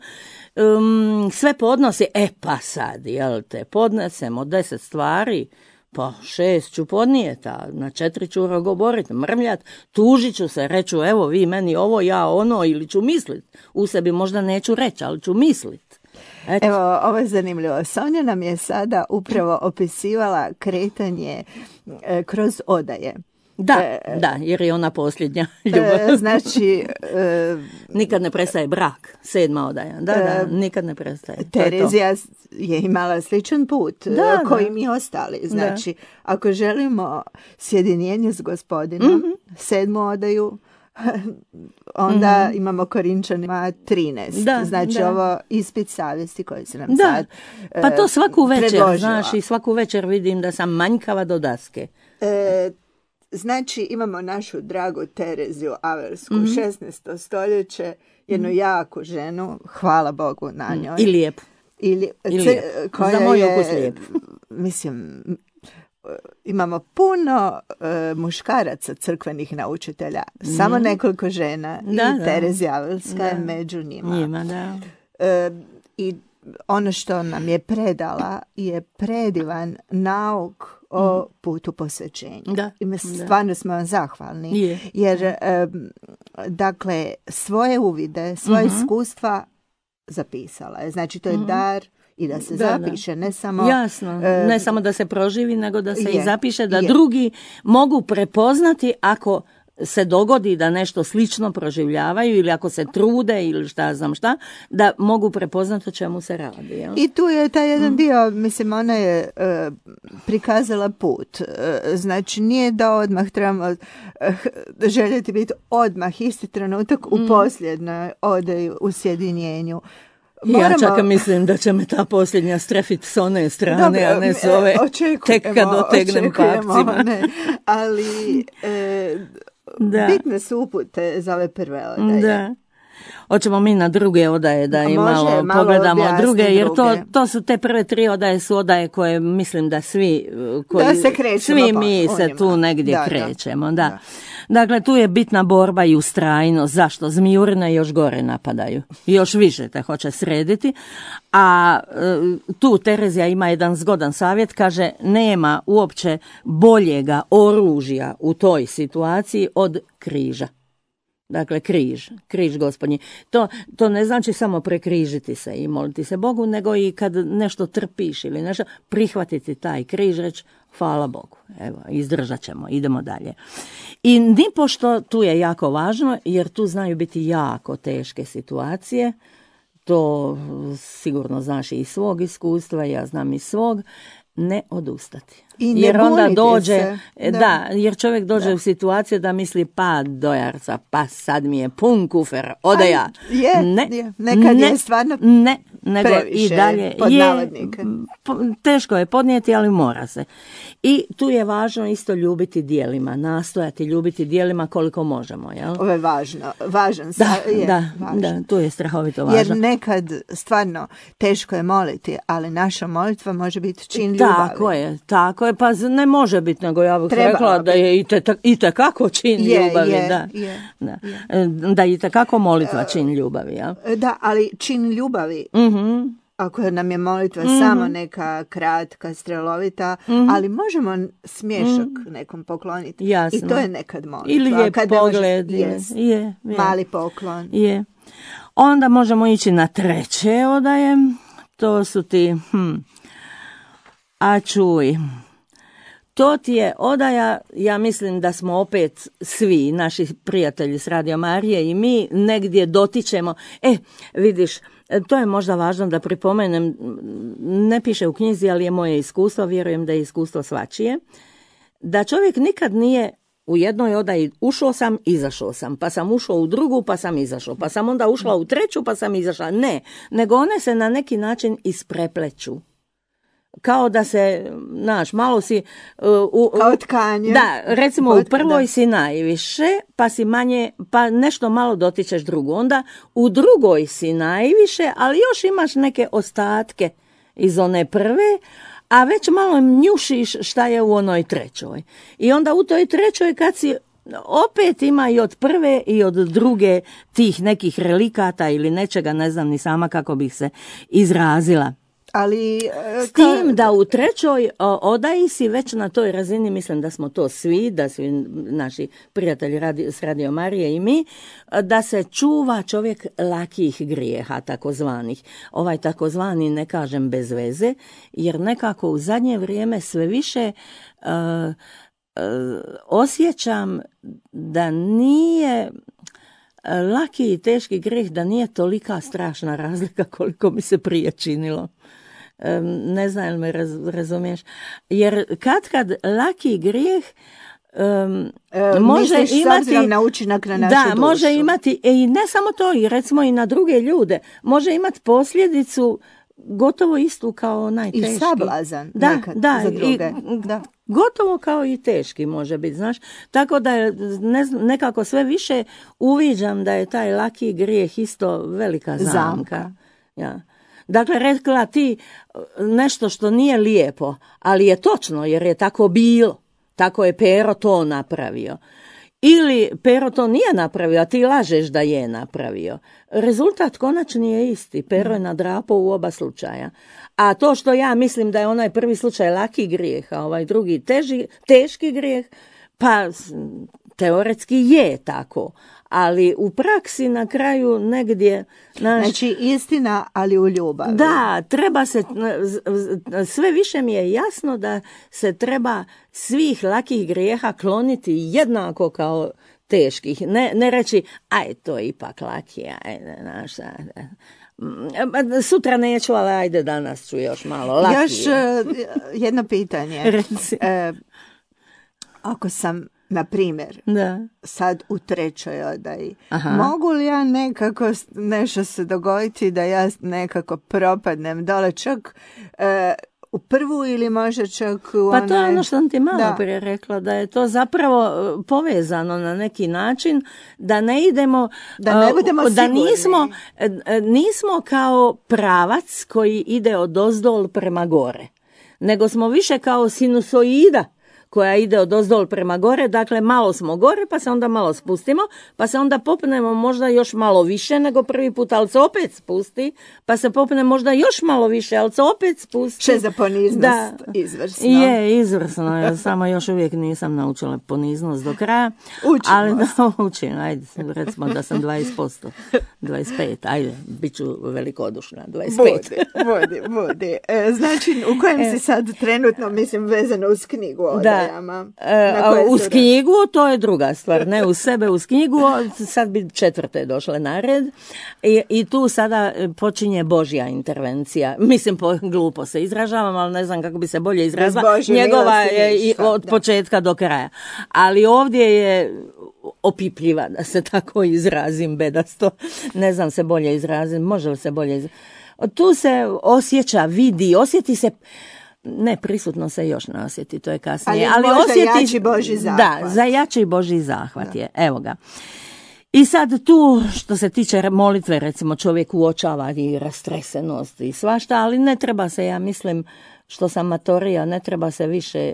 Um, sve podnosi, e pa sad, jel te, podnesemo deset stvari, pa šest ću podnijeti, a na četiri ću rogoboriti, mrmljat, tužit ću se, reću evo vi meni ovo, ja ono, ili ću mislit. U sebi možda neću reći, ali ću mislit. Eto. Evo, ovo je zanimljivo. Sonja nam je sada upravo opisivala kretanje e, kroz odaje. Da, e, da, jer je ona posljednja ljubav. E, znači... E, nikad ne prestaje brak, sedma odaja. Da, e, da, nikad ne prestaje. Terezija je, je imala sličan put da, koji da. mi ostali. Znači, da. Ako želimo sjedinjenje s Gospodinom, mm-hmm. sedmu odaju, onda mm-hmm. imamo Korinčanima trinaest. Da, znači da. Ovo ispit savjesti koji se nam da. sad Pa to svaku večer, predložila. Znaš, i svaku večer vidim da sam manjkava do daske. E, Znači, imamo našu dragu Tereziju Aversku, mm-hmm. šesnaesto stoljeće, jednu mm-hmm. jaku ženu, hvala Bogu na njoj. I lijepu. I, li, I lijepu. Za moj okus lijepu. Mislim, imamo puno uh, muškaraca crkvenih naučitelja, mm-hmm. samo nekoliko žena da, i da. Terezija Averska da. je među njima. Njima, da. Uh, I ono što nam je predala je predivan nauk o putu posvećenja. Da, I mi stvarno smo vam zahvalni. Je. Jer, um, dakle, svoje uvide, svoje uh-huh. iskustva zapisala je. Znači, to je uh-huh. dar i da se da, zapiše, da. ne samo... Jasno, uh, ne samo da se proživi, nego da se je, i zapiše, da je. drugi mogu prepoznati ako se dogodi da nešto slično proživljavaju ili ako se trude ili šta znam šta, da mogu prepoznati o čemu se radi. Jel? I tu je taj jedan mm. dio, mislim, ona je uh, prikazala put. Uh, znači, nije da odmah trebamo uh, željeti biti odmah isti trenutak mm. u posljednoj odeji u sjedinjenju. Moramo... Ja čak mislim da će me ta posljednja strefiti s one strane, Dobre, a ne s ove tek kad dotegnem papcima. Ne, ali... E, Da. bitne su upute za ove prve odaje. Da. Hoćemo mi na druge odaje da i Može, malo, malo pogledamo druge, jer druge. to, to su te prve tri odaje su odaje koje mislim da svi, koji, da se krećemo, svi pa, mi se njima. tu negdje da, krećemo. Da. Da. Da. Dakle, tu je bitna borba i ustrajnost. Zašto? Zmijurine još gore napadaju. Još više te hoće srediti. A tu Terezija ima jedan zgodan savjet, kaže nema uopće boljega oružja u toj situaciji od križa. Dakle, križ, križ gospodnji. To, to ne znači samo prekrižiti se i moliti se Bogu, nego i kad nešto trpiš ili nešto, prihvatiti taj križ, reći hvala Bogu. Evo, izdržat ćemo, idemo dalje. I nipošto tu je jako važno, jer tu znaju biti jako teške situacije. To sigurno znaš i iz svog iskustva, ja znam iz svog. Ne odustati. I ne jer onda dođe, se. Da. da, jer čovjek dođe da. u situaciju da misli pa dojarca, pa sad mi je pun kufer, ode ja. Je, ne, je. Nekad ne, je stvarno ne, nego previše, i dalje pod je, navodnike. teško je podnijeti, ali mora se. I tu je važno isto ljubiti djelima, nastojati ljubiti djelima koliko možemo. Jel? Ovo je važno, važan Da, je, da, važno. da, tu je strahovito važno. Jer nekad stvarno teško je moliti, ali naša molitva može biti čin ljubavi. Tako je, tako je, pa ne može biti, nego ja bih Trebala rekla da je i, te, i tekako čin je, ljubavi, je, da. Je, Da. je. Da i tekako molitva čin ljubavi, ja. Da, ali čin ljubavi, Mhm. ako nam je molitva Mhm. samo neka kratka, strelovita, Mhm. ali možemo smješak nekom pokloniti. Jasno. I to je nekad molitva. Ili je Kad ne može- pogled, je, jest, je, je. mali poklon. Je. Onda možemo ići na treće odaje. To su ti, hm, a čuj, to ti je odaja, ja mislim da smo opet svi, naši prijatelji s Radio Marije i mi negdje dotičemo. E, vidiš, to je možda važno da pripomenem, ne piše u knjizi, ali je moje iskustvo, vjerujem da je iskustvo svačije, da čovjek nikad nije u jednoj odaji ušao sam, izašao sam, pa sam ušao u drugu, pa sam izašao, pa sam onda ušla u treću, pa sam izašla. Ne, nego one se na neki način isprepleću. Kao da se, znaš, malo si... Uh, u, Kao tkanje. Da, recimo Od, u prvoj da. si najviše, pa si manje, pa nešto malo dotičeš drugu. Onda u drugoj si najviše, ali još imaš neke ostatke iz one prve, a već malo njušiš šta je u onoj trećoj. I onda u toj trećoj kad si opet ima i od prve i od druge tih nekih relikata ili nečega, ne znam ni sama kako bih se izrazila. Ali, S tim da u trećoj odaji si već na toj razini, mislim da smo to svi, da su naši prijatelji radi, s Radio Marije i mi, da se čuva čovjek lakih grijeha, takozvanih. Ovaj takozvani ne kažem bez veze, jer nekako u zadnje vrijeme sve više uh, uh, osjećam da nije laki i teški grijeh, da nije tolika strašna razlika koliko mi se prije činilo. Ne znam jel me raz, razumiješ. Jer kad kad laki grijeh um, e, može misliš, imati na učinak na našu da, dušu. može imati i ne samo to, i recimo i na druge ljude, može imati posljedicu gotovo istu kao najteški. I sablazan da, nekad da, za druge. I, da. Gotovo kao i teški može biti, znaš. Tako da je ne, nekako sve više uviđam da je taj laki grijeh isto velika zamka. zamka. Ja. Dakle, rekla ti nešto što nije lijepo, ali je točno jer je tako bilo. Tako je Pero to napravio. Ili Pero to nije napravio, a ti lažeš da je napravio. Rezultat konačni je isti. Pero je nadrapao u oba slučaja. A to što ja mislim da je onaj prvi slučaj laki grijeh, a ovaj drugi teži, teški grijeh, pa teoretski je tako. Ali u praksi na kraju negdje... Naš... Znači istina, ali u ljubavi. Da, treba se, sve više mi je jasno da se treba svih lakih grijeha kloniti jednako kao teških. Ne, ne reći, aj to je ipak laki, ajde, znaš, sutra neću, ali ajde danas ću još malo laki. Još uh, jedno pitanje. Reci. E, ako sam, na primjer, da. sad u trećoj odaji, Aha. mogu li ja nekako nešto se dogoditi da ja nekako propadnem dole, čak uh, u prvu ili možda čak u Pa to je onaj... ono što sam ti malo Da. prije rekla, da je to zapravo e, povezano na neki način, da ne idemo, Da ne e, budemo da sigurni. nismo, e, e, nismo kao pravac koji ide od ozdol prema gore, nego smo više kao sinusoida koja ide od ozdol prema gore, dakle malo smo gore, pa se onda malo spustimo, pa se onda popnemo možda još malo više nego prvi put, ali se opet spusti, pa se popne možda još malo više, ali se opet spusti. Še za poniznost, Da. izvrsno. Je, izvrsno je, samo još uvijek nisam naučila poniznost do kraja. Učimo ali da, učim, ajde, recimo da sam dvadeset posto, dvadeset pet, ajde, bit ću velikodušna, dvadeset pet. Budi, budi, budi. E, znači, u kojem si sad trenutno, mislim, vezano uz knjigu o Da, odajama? e, Na koje uz su knjigu to je druga stvar, ne uz sebe, uz knjigu, sad bi četvrte došle na red i, i tu sada počinje Božja intervencija. Mislim, po, glupo se izražavam, ali ne znam kako bi se bolje izrazila. Božje Njegova milosti je i ništa, od da. početka do kraja. Ali ovdje je opipljiva, da se tako izrazim bedasto. Ne znam se bolje izrazim, može li se bolje izrazim. Tu se osjeća, vidi, osjeti se. Ne, prisutno se još ne osjeti, to je kasnije. Ali Ali možda osjeti, jači Božji zahvat. Da, za jači Božji zahvat je, evo ga. I sad tu, što se tiče molitve, recimo čovjek uočava i rastresenost i svašta, ali ne treba se, ja mislim, što sam matorija, ne treba se više,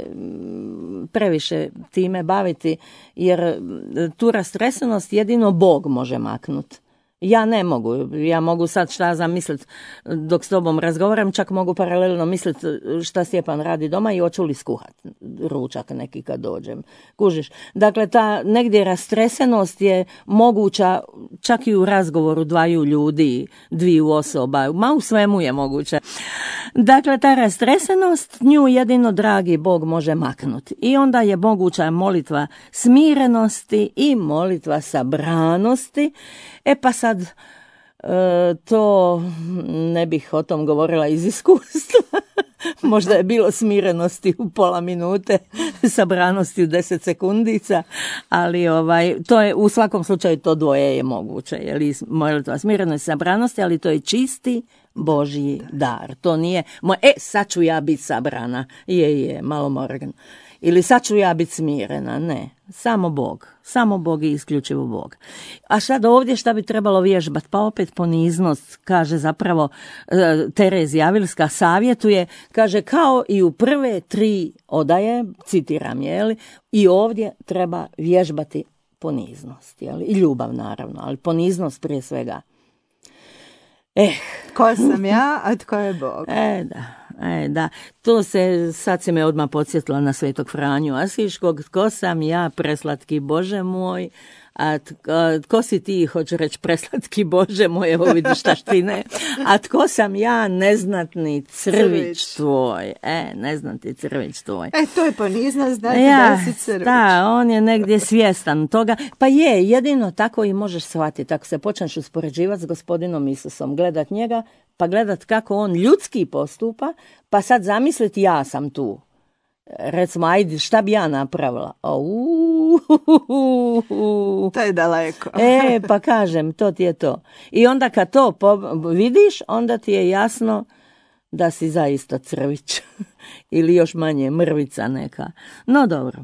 previše time baviti, jer tu rastresenost jedino Bog može maknuti. Ja ne mogu, ja mogu sad šta zamisliti dok s tobom razgovaram, čak mogu paralelno misliti šta Stjepan radi doma i hoću li skuhat ručak neki kad dođem. Kužiš? Dakle, ta negdje rastresenost je moguća čak i u razgovoru dvaju ljudi, dviju osoba, ma u svemu je moguće. Dakle, ta rastresenost, nju jedino dragi Bog može maknuti. I onda je moguća molitva smirenosti i molitva sabranosti. E pa sad, e, to ne bih o tom govorila iz iskustva. Možda je bilo smirenosti u pola minute, sabranosti u deset sekundica, ali ovaj, to je, u svakom slučaju to dvoje je moguće. Je molitva smirenosti i sabranosti, ali to je čisti Božji dar. To nije, moj, e, sad ću ja biti sabrana. Je, je, malo Morgan. Ili sad ću ja biti smirena. Ne, samo Bog. Samo Bog i isključivo Bog. A sad ovdje šta bi trebalo vježbati? Pa opet poniznost, kaže zapravo Terezija Avilska savjetuje, kaže kao i u prve tri odaje, citiram, jeli, i ovdje treba vježbati poniznost. Jeli, i ljubav naravno, ali poniznost prije svega. Eh. Ko sam ja, a tko je Bog? E, da. E, da, to se, sad se me odmah podsjetila na svetog Franju Asiškog, tko sam ja, preslatki Bože moj, a tko si ti, hoću reći preslatki Bože moj, evo vidiš taštine, a tko sam ja, neznatni crvić, crvić. tvoj, e, neznatni crvić tvoj. E, to je poniznost, znači ja, da si crvić. Da, on je negdje svjestan toga, pa je, jedino tako i možeš shvatiti, ako se počneš uspoređivati s gospodinom Isusom, gledat njega, pa gledat kako on ljudski postupa, pa sad zamisliti ja sam tu. Recimo, ajde, šta bi ja napravila? Au, to je daleko. E, pa kažem, to ti je to. I onda kad to vidiš, onda ti je jasno da si zaista crvić. Ili još manje, mrvica neka. No dobro.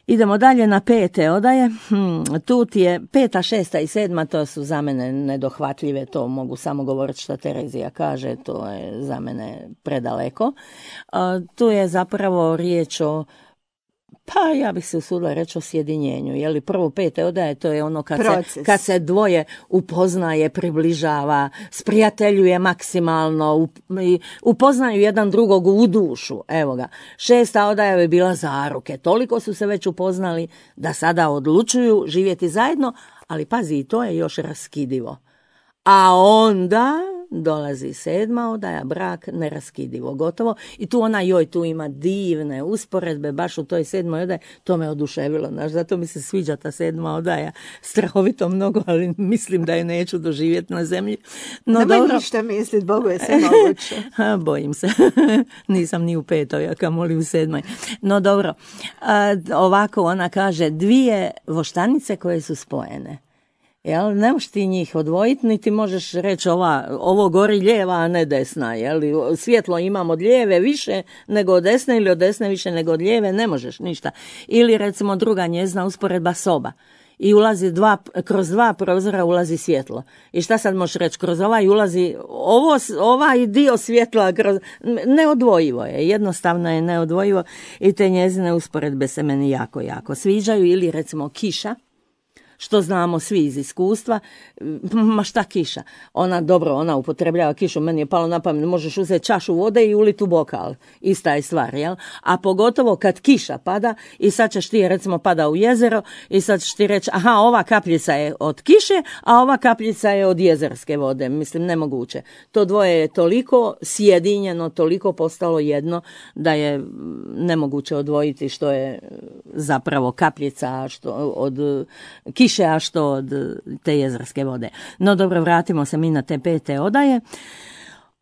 Idemo dalje na pete odaje. Hmm, tu ti je peta, šesta i sedma, to su za mene nedohvatljive, to mogu samo govoriti što Terezija kaže, to je za mene predaleko. A, tu je zapravo riječ o, pa ja bih se usudila reći o sjedinjenju. Je li prvo pete odaje, to je ono kad se, kad se dvoje upoznaje, približava, sprijateljuje maksimalno, upoznaju jedan drugog u dušu. Evo ga. Šesta odaja je bila zaruke. Toliko su se već upoznali da sada odlučuju živjeti zajedno, ali pazi, to je još raskidivo. A onda dolazi sedma odaja, brak, neraskidivo, gotovo. I tu ona, joj, tu ima divne usporedbe, baš u toj sedmoj odaji, to me oduševilo, znaš, zato mi se sviđa ta sedma odaja, strahovito mnogo, ali mislim da je neću doživjeti na zemlji. No, nemoj dobro. ništa misliti, Bogu je sve moguće. Bojim se, nisam ni u petoj, a kamoli u sedmoj. No dobro, a, ovako ona kaže, dvije voštanice koje su spojene. Jel? Ne možeš ti njih odvojiti, niti možeš reći ova, ovo gori lijeva, a ne desna. Jel? Svjetlo imam od lijeve više nego od desne ili od desne više nego od lijeve, ne možeš ništa. Ili recimo druga njezina usporedba soba. I ulazi dva, kroz dva prozora ulazi svjetlo. I šta sad možeš reći? Kroz ovaj ulazi ovo, ovaj dio svjetla, kroz, neodvojivo je, jednostavno je neodvojivo i te njezine usporedbe se meni jako, jako sviđaju. Ili recimo kiša, što znamo svi iz iskustva, ma šta kiša? Ona, dobro, ona upotrebljava kišu, meni je palo na pamet, možeš uzeti čašu vode i uliti u bokal, ista je stvar, jel? A pogotovo kad kiša pada i sad ćeš ti, recimo, pada u jezero i sad ćeš ti reći, aha, ova kapljica je od kiše, a ova kapljica je od jezerske vode, mislim, nemoguće. To dvoje je toliko sjedinjeno, toliko postalo jedno, da je nemoguće odvojiti što je zapravo kapljica što od kiše, a što od te jezerske vode. No dobro, vratimo se mi na te pete odaje.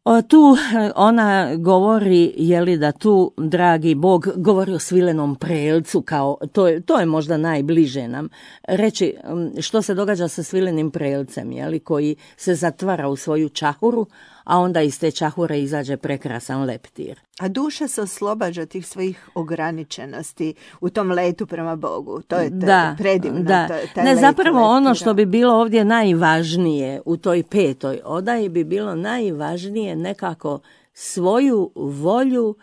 O, tu ona govori, je li da tu, dragi Bog, govori o svilenom prelcu, kao, to je, to je možda najbliže nam. Reći što se događa sa svilenim prelcem, je li, koji se zatvara u svoju čahuru, a onda iz te čahure izađe prekrasan leptir. A duša se oslobađa tih svojih ograničenosti u tom letu prema Bogu. To je da, predivno. Da. To, taj ne, let zapravo leptira. Ono što bi bilo ovdje najvažnije u toj petoj odaji bi bilo najvažnije nekako svoju volju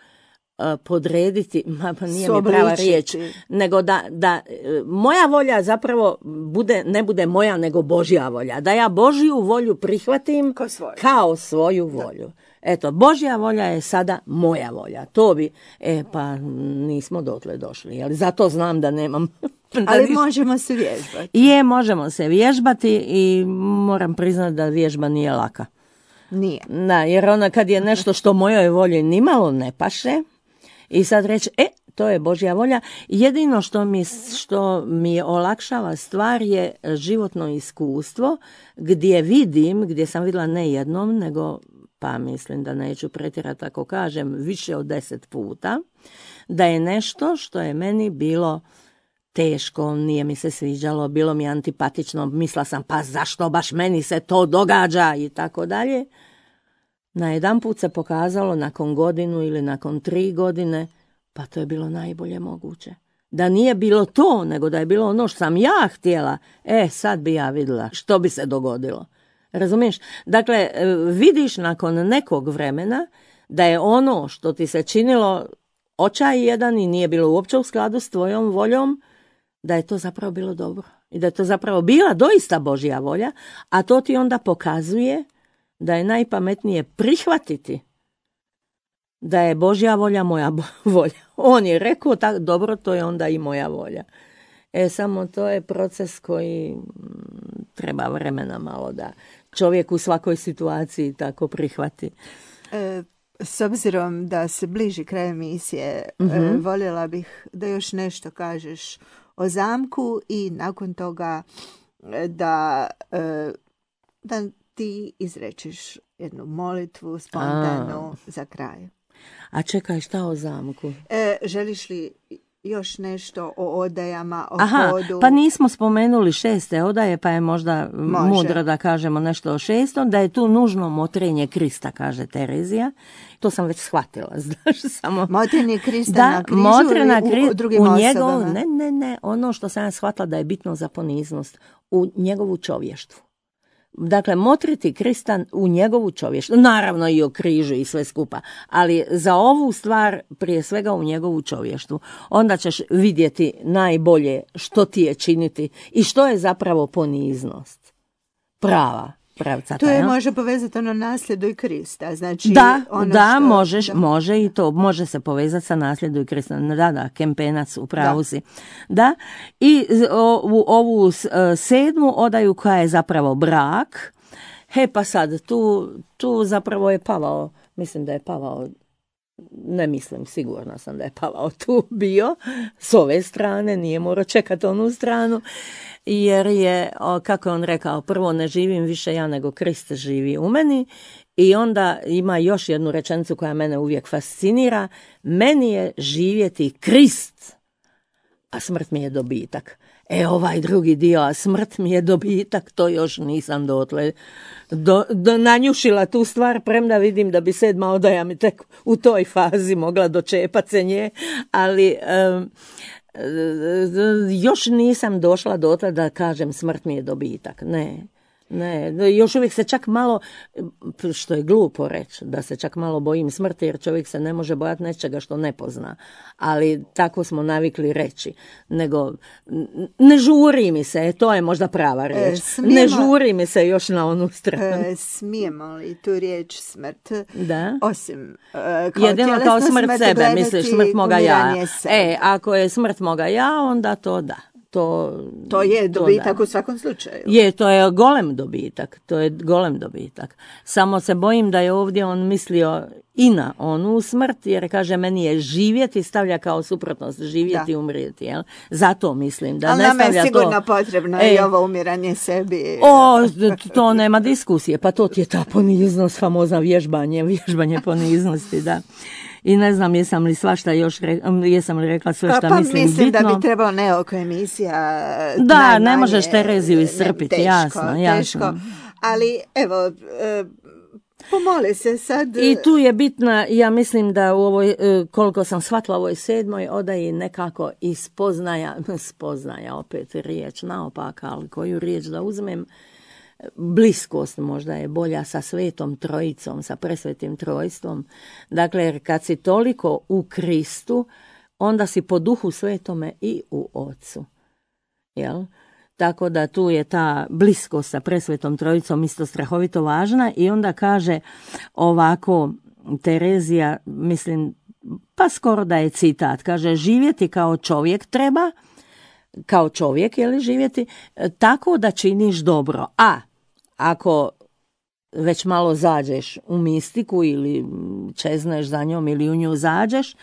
podrediti, ma pa nije mi prava riječ, nego da, da moja volja zapravo bude, ne bude moja, nego Božja volja. Da ja Božju volju prihvatim kao svoju, kao svoju volju. Da. Eto, Božja volja je sada moja volja. To bi, e pa nismo dotle došli, jer zato znam da nemam. Ali možemo se vježbati. Je, možemo se vježbati i moram priznati da vježba nije laka. Nije. Da, jer ona kad je nešto što mojoj volji nimalo ne paše, i sad reći, e, to je Božja volja. Jedino što mi, što mi je olakšava stvar je životno iskustvo, gdje vidim, gdje sam vidjela ne jednom, nego, pa mislim da neću pretjerati ako kažem, više od deset puta, da je nešto što je meni bilo teško, nije mi se sviđalo, bilo mi antipatično, mislila sam, pa zašto baš meni se to događa i tako dalje. Na jedan put se pokazalo nakon godinu ili nakon tri godine, pa to je bilo najbolje moguće. Da nije bilo to, nego da je bilo ono što sam ja htjela, e, sad bi ja vidjela što bi se dogodilo. Razumiješ? Dakle, vidiš nakon nekog vremena da je ono što ti se činilo očaj jedan i nije bilo uopće u skladu s tvojom voljom, da je to zapravo bilo dobro. I da je to zapravo bila doista Božja volja, a to ti onda pokazuje da je najpametnije prihvatiti da je Božja volja moja volja. On je rekao, tak, dobro, to je onda i moja volja. E, samo to je proces koji treba vremena malo da čovjek u svakoj situaciji tako prihvati. E, s obzirom da se bliži kraj emisije, mm-hmm. e, voljela bih da još nešto kažeš o zamku i nakon toga da, e, da ti izrečiš jednu molitvu spontanu A. za kraj. A čekaj, šta o zamku? E, želiš li još nešto o odajama, o Aha, hodu? Pa nismo spomenuli šeste odaje, pa je možda Može. mudro da kažemo nešto o šestom, da je tu nužno motrenje Krista, kaže Terezija. To sam već shvatila, znaš, samo... Motrenje Krista da, na križu motrena ili kri... u drugim u osobama? njegov... Ne, ne, ne, ono što sam ja shvatila da je bitno za poniznost, u njegovu čovještvu. Dakle, motriti Krista u njegovu čovještvu, naravno i o križu i sve skupa, ali za ovu stvar prije svega u njegovu čovještvu. Onda ćeš vidjeti najbolje što ti je činiti i što je zapravo poniznost. Prava. Pravcata, to je ja? Može povezati ono nasljedu i Krista. Znači, da, ono da, što, možeš, da, može i to, može se povezati sa nasljedu i Krista. Da, da, Kempenac, u pravu si. Da, i u ovu sedmu odaju koja je zapravo brak, he pa sad, tu, tu zapravo je Pavao, mislim da je Pavao, ne mislim, sigurna sam da je Pavao tu bio, s ove strane, nije morao čekati onu stranu, jer je, kako je on rekao, prvo ne živim više ja nego Krist živi u meni, i onda ima još jednu rečenicu koja mene uvijek fascinira, meni je živjeti Krist, a smrt mi je dobitak. E, ovaj drugi dio, a smrt mi je dobitak, to još nisam dotle do, do, nanjušila tu stvar, premda vidim da bi sedma odaja mi tek u toj fazi mogla dočepat se nje, ali um, još nisam došla dotle da kažem smrt mi je dobitak, ne. Ne, još uvijek se čak malo, što je glupo reći, da se čak malo bojim smrti, jer čovjek se ne može bojati nečega što ne pozna, ali tako smo navikli reći, nego ne žuri mi se, to je možda prava riječ, e, smijemo, ne žuri mi se još na onu stranu. E, smijemo li tu riječ smrt? Da. Osim, e, kao jedino kao smrt sebe, misliš smrt moga ja. E, ako je smrt moga ja, onda to da. To, to je dobitak to u svakom slučaju. Je, to je golem dobitak. To je golem dobitak. Samo se bojim da je ovdje on mislio i na onu smrt, jer kaže meni je živjeti, stavlja kao suprotnost živjeti i umrijeti. Jel? Zato mislim da ali ne stavlja to. Ali nama je sigurno to potrebno e, i ovo umiranje sebi. O, to nema diskusije. Pa to ti je ta poniznost, famozna vježbanje, vježbanje poniznosti, da. I ne znam jesam li svašta još re, jesam li rekla sve šta pa, mislim, pa mislim bitno. Da bi trebalo neoko emisija da, najmanje, ne možeš Tereziju iscrpiti, teško, jasno, jasno. Teško. Ali evo, pomoli se sad. I tu je bitna, ja mislim da u ovoj, koliko sam shvatila u ovoj sedmoj odaji nekako i spoznaja, spoznaja opet riječ naopaka, ali koju riječ da uzmem, bliskost možda je bolja sa Svetom Trojicom, sa presvetim trojstvom. Dakle, jer kad si toliko u Kristu, onda si po Duhu Svetome i u Ocu. Jel? Tako da tu je ta bliskost sa presvetom Trojicom isto strahovito važna i onda kaže ovako Terezija, mislim, pa skoro da je citat, kaže živjeti kao čovjek treba, kao čovjek, je li živjeti, tako da činiš dobro. A ako već malo zađeš u mistiku ili čezneš za njom ili u nju zađeš,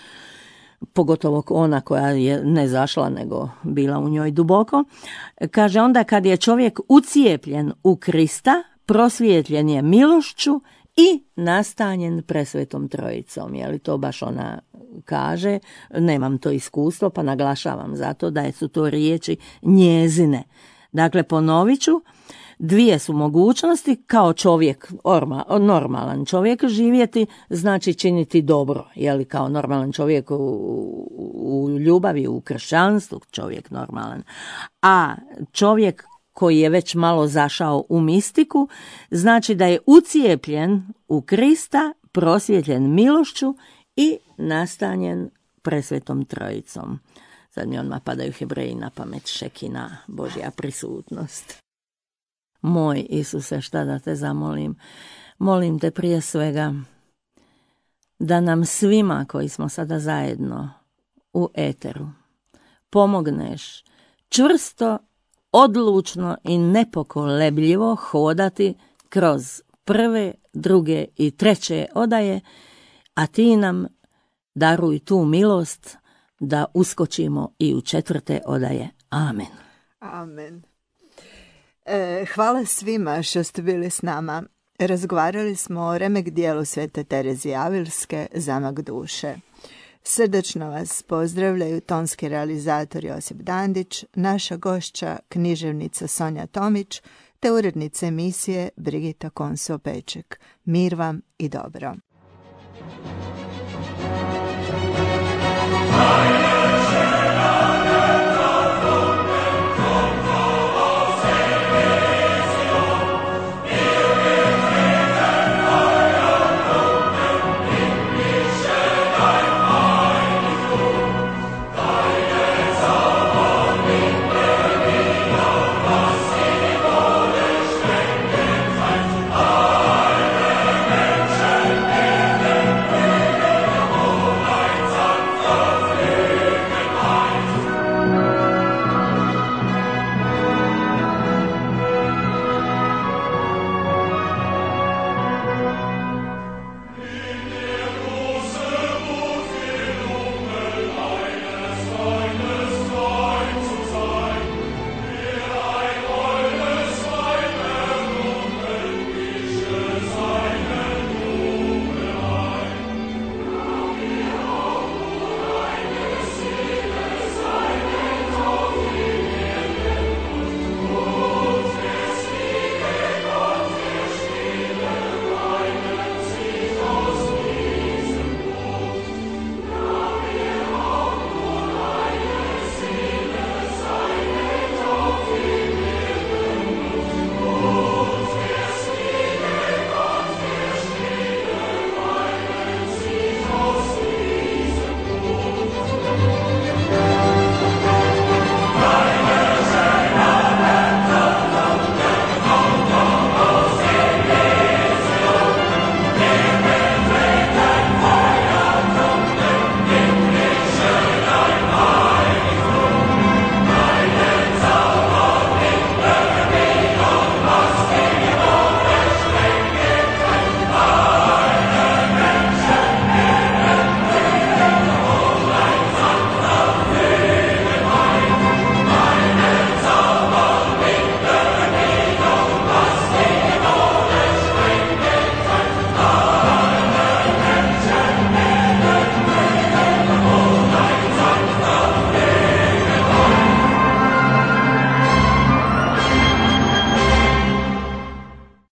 pogotovo ona koja je ne zašla nego bila u njoj duboko, kaže onda kad je čovjek ucijepljen u Krista, prosvjetljen je milošću i nastanjen presvetom Trojicom. Je li to baš ona kaže? Nemam to iskustvo pa naglašavam zato da su to riječi njezine. Dakle, ponovit ću, dvije su mogućnosti, kao čovjek, orma, normalan čovjek živjeti, znači činiti dobro, je li kao normalan čovjek u, u ljubavi, u kršćanstvu, čovjek normalan. A čovjek koji je već malo zašao u mistiku, znači da je ucijepljen u Krista, prosvjetljen milošću i nastanjen presvetom Trojicom. Sad mi odmah padaju Hebreji na pamet, Šekina, Božja prisutnost. Moj Isuse, šta da te zamolim? Molim te prije svega da nam svima koji smo sada zajedno u eteru pomogneš čvrsto, odlučno i nepokolebljivo hodati kroz prve, druge i treće odaje, a ti nam daruj tu milost da uskočimo i u četvrte odaje. Amen. Amen. E, hvala svima što ste bili s nama. Razgovarali smo o remek dijelu Svete Terezije Avilske, Zamak duše. Srdačno vas pozdravljaju tonski realizator Josip Dandić, naša gošća književnica Sonja Tomić, te urednica emisije Brigita Konso-Peček. Mir vam i dobro. Hvala.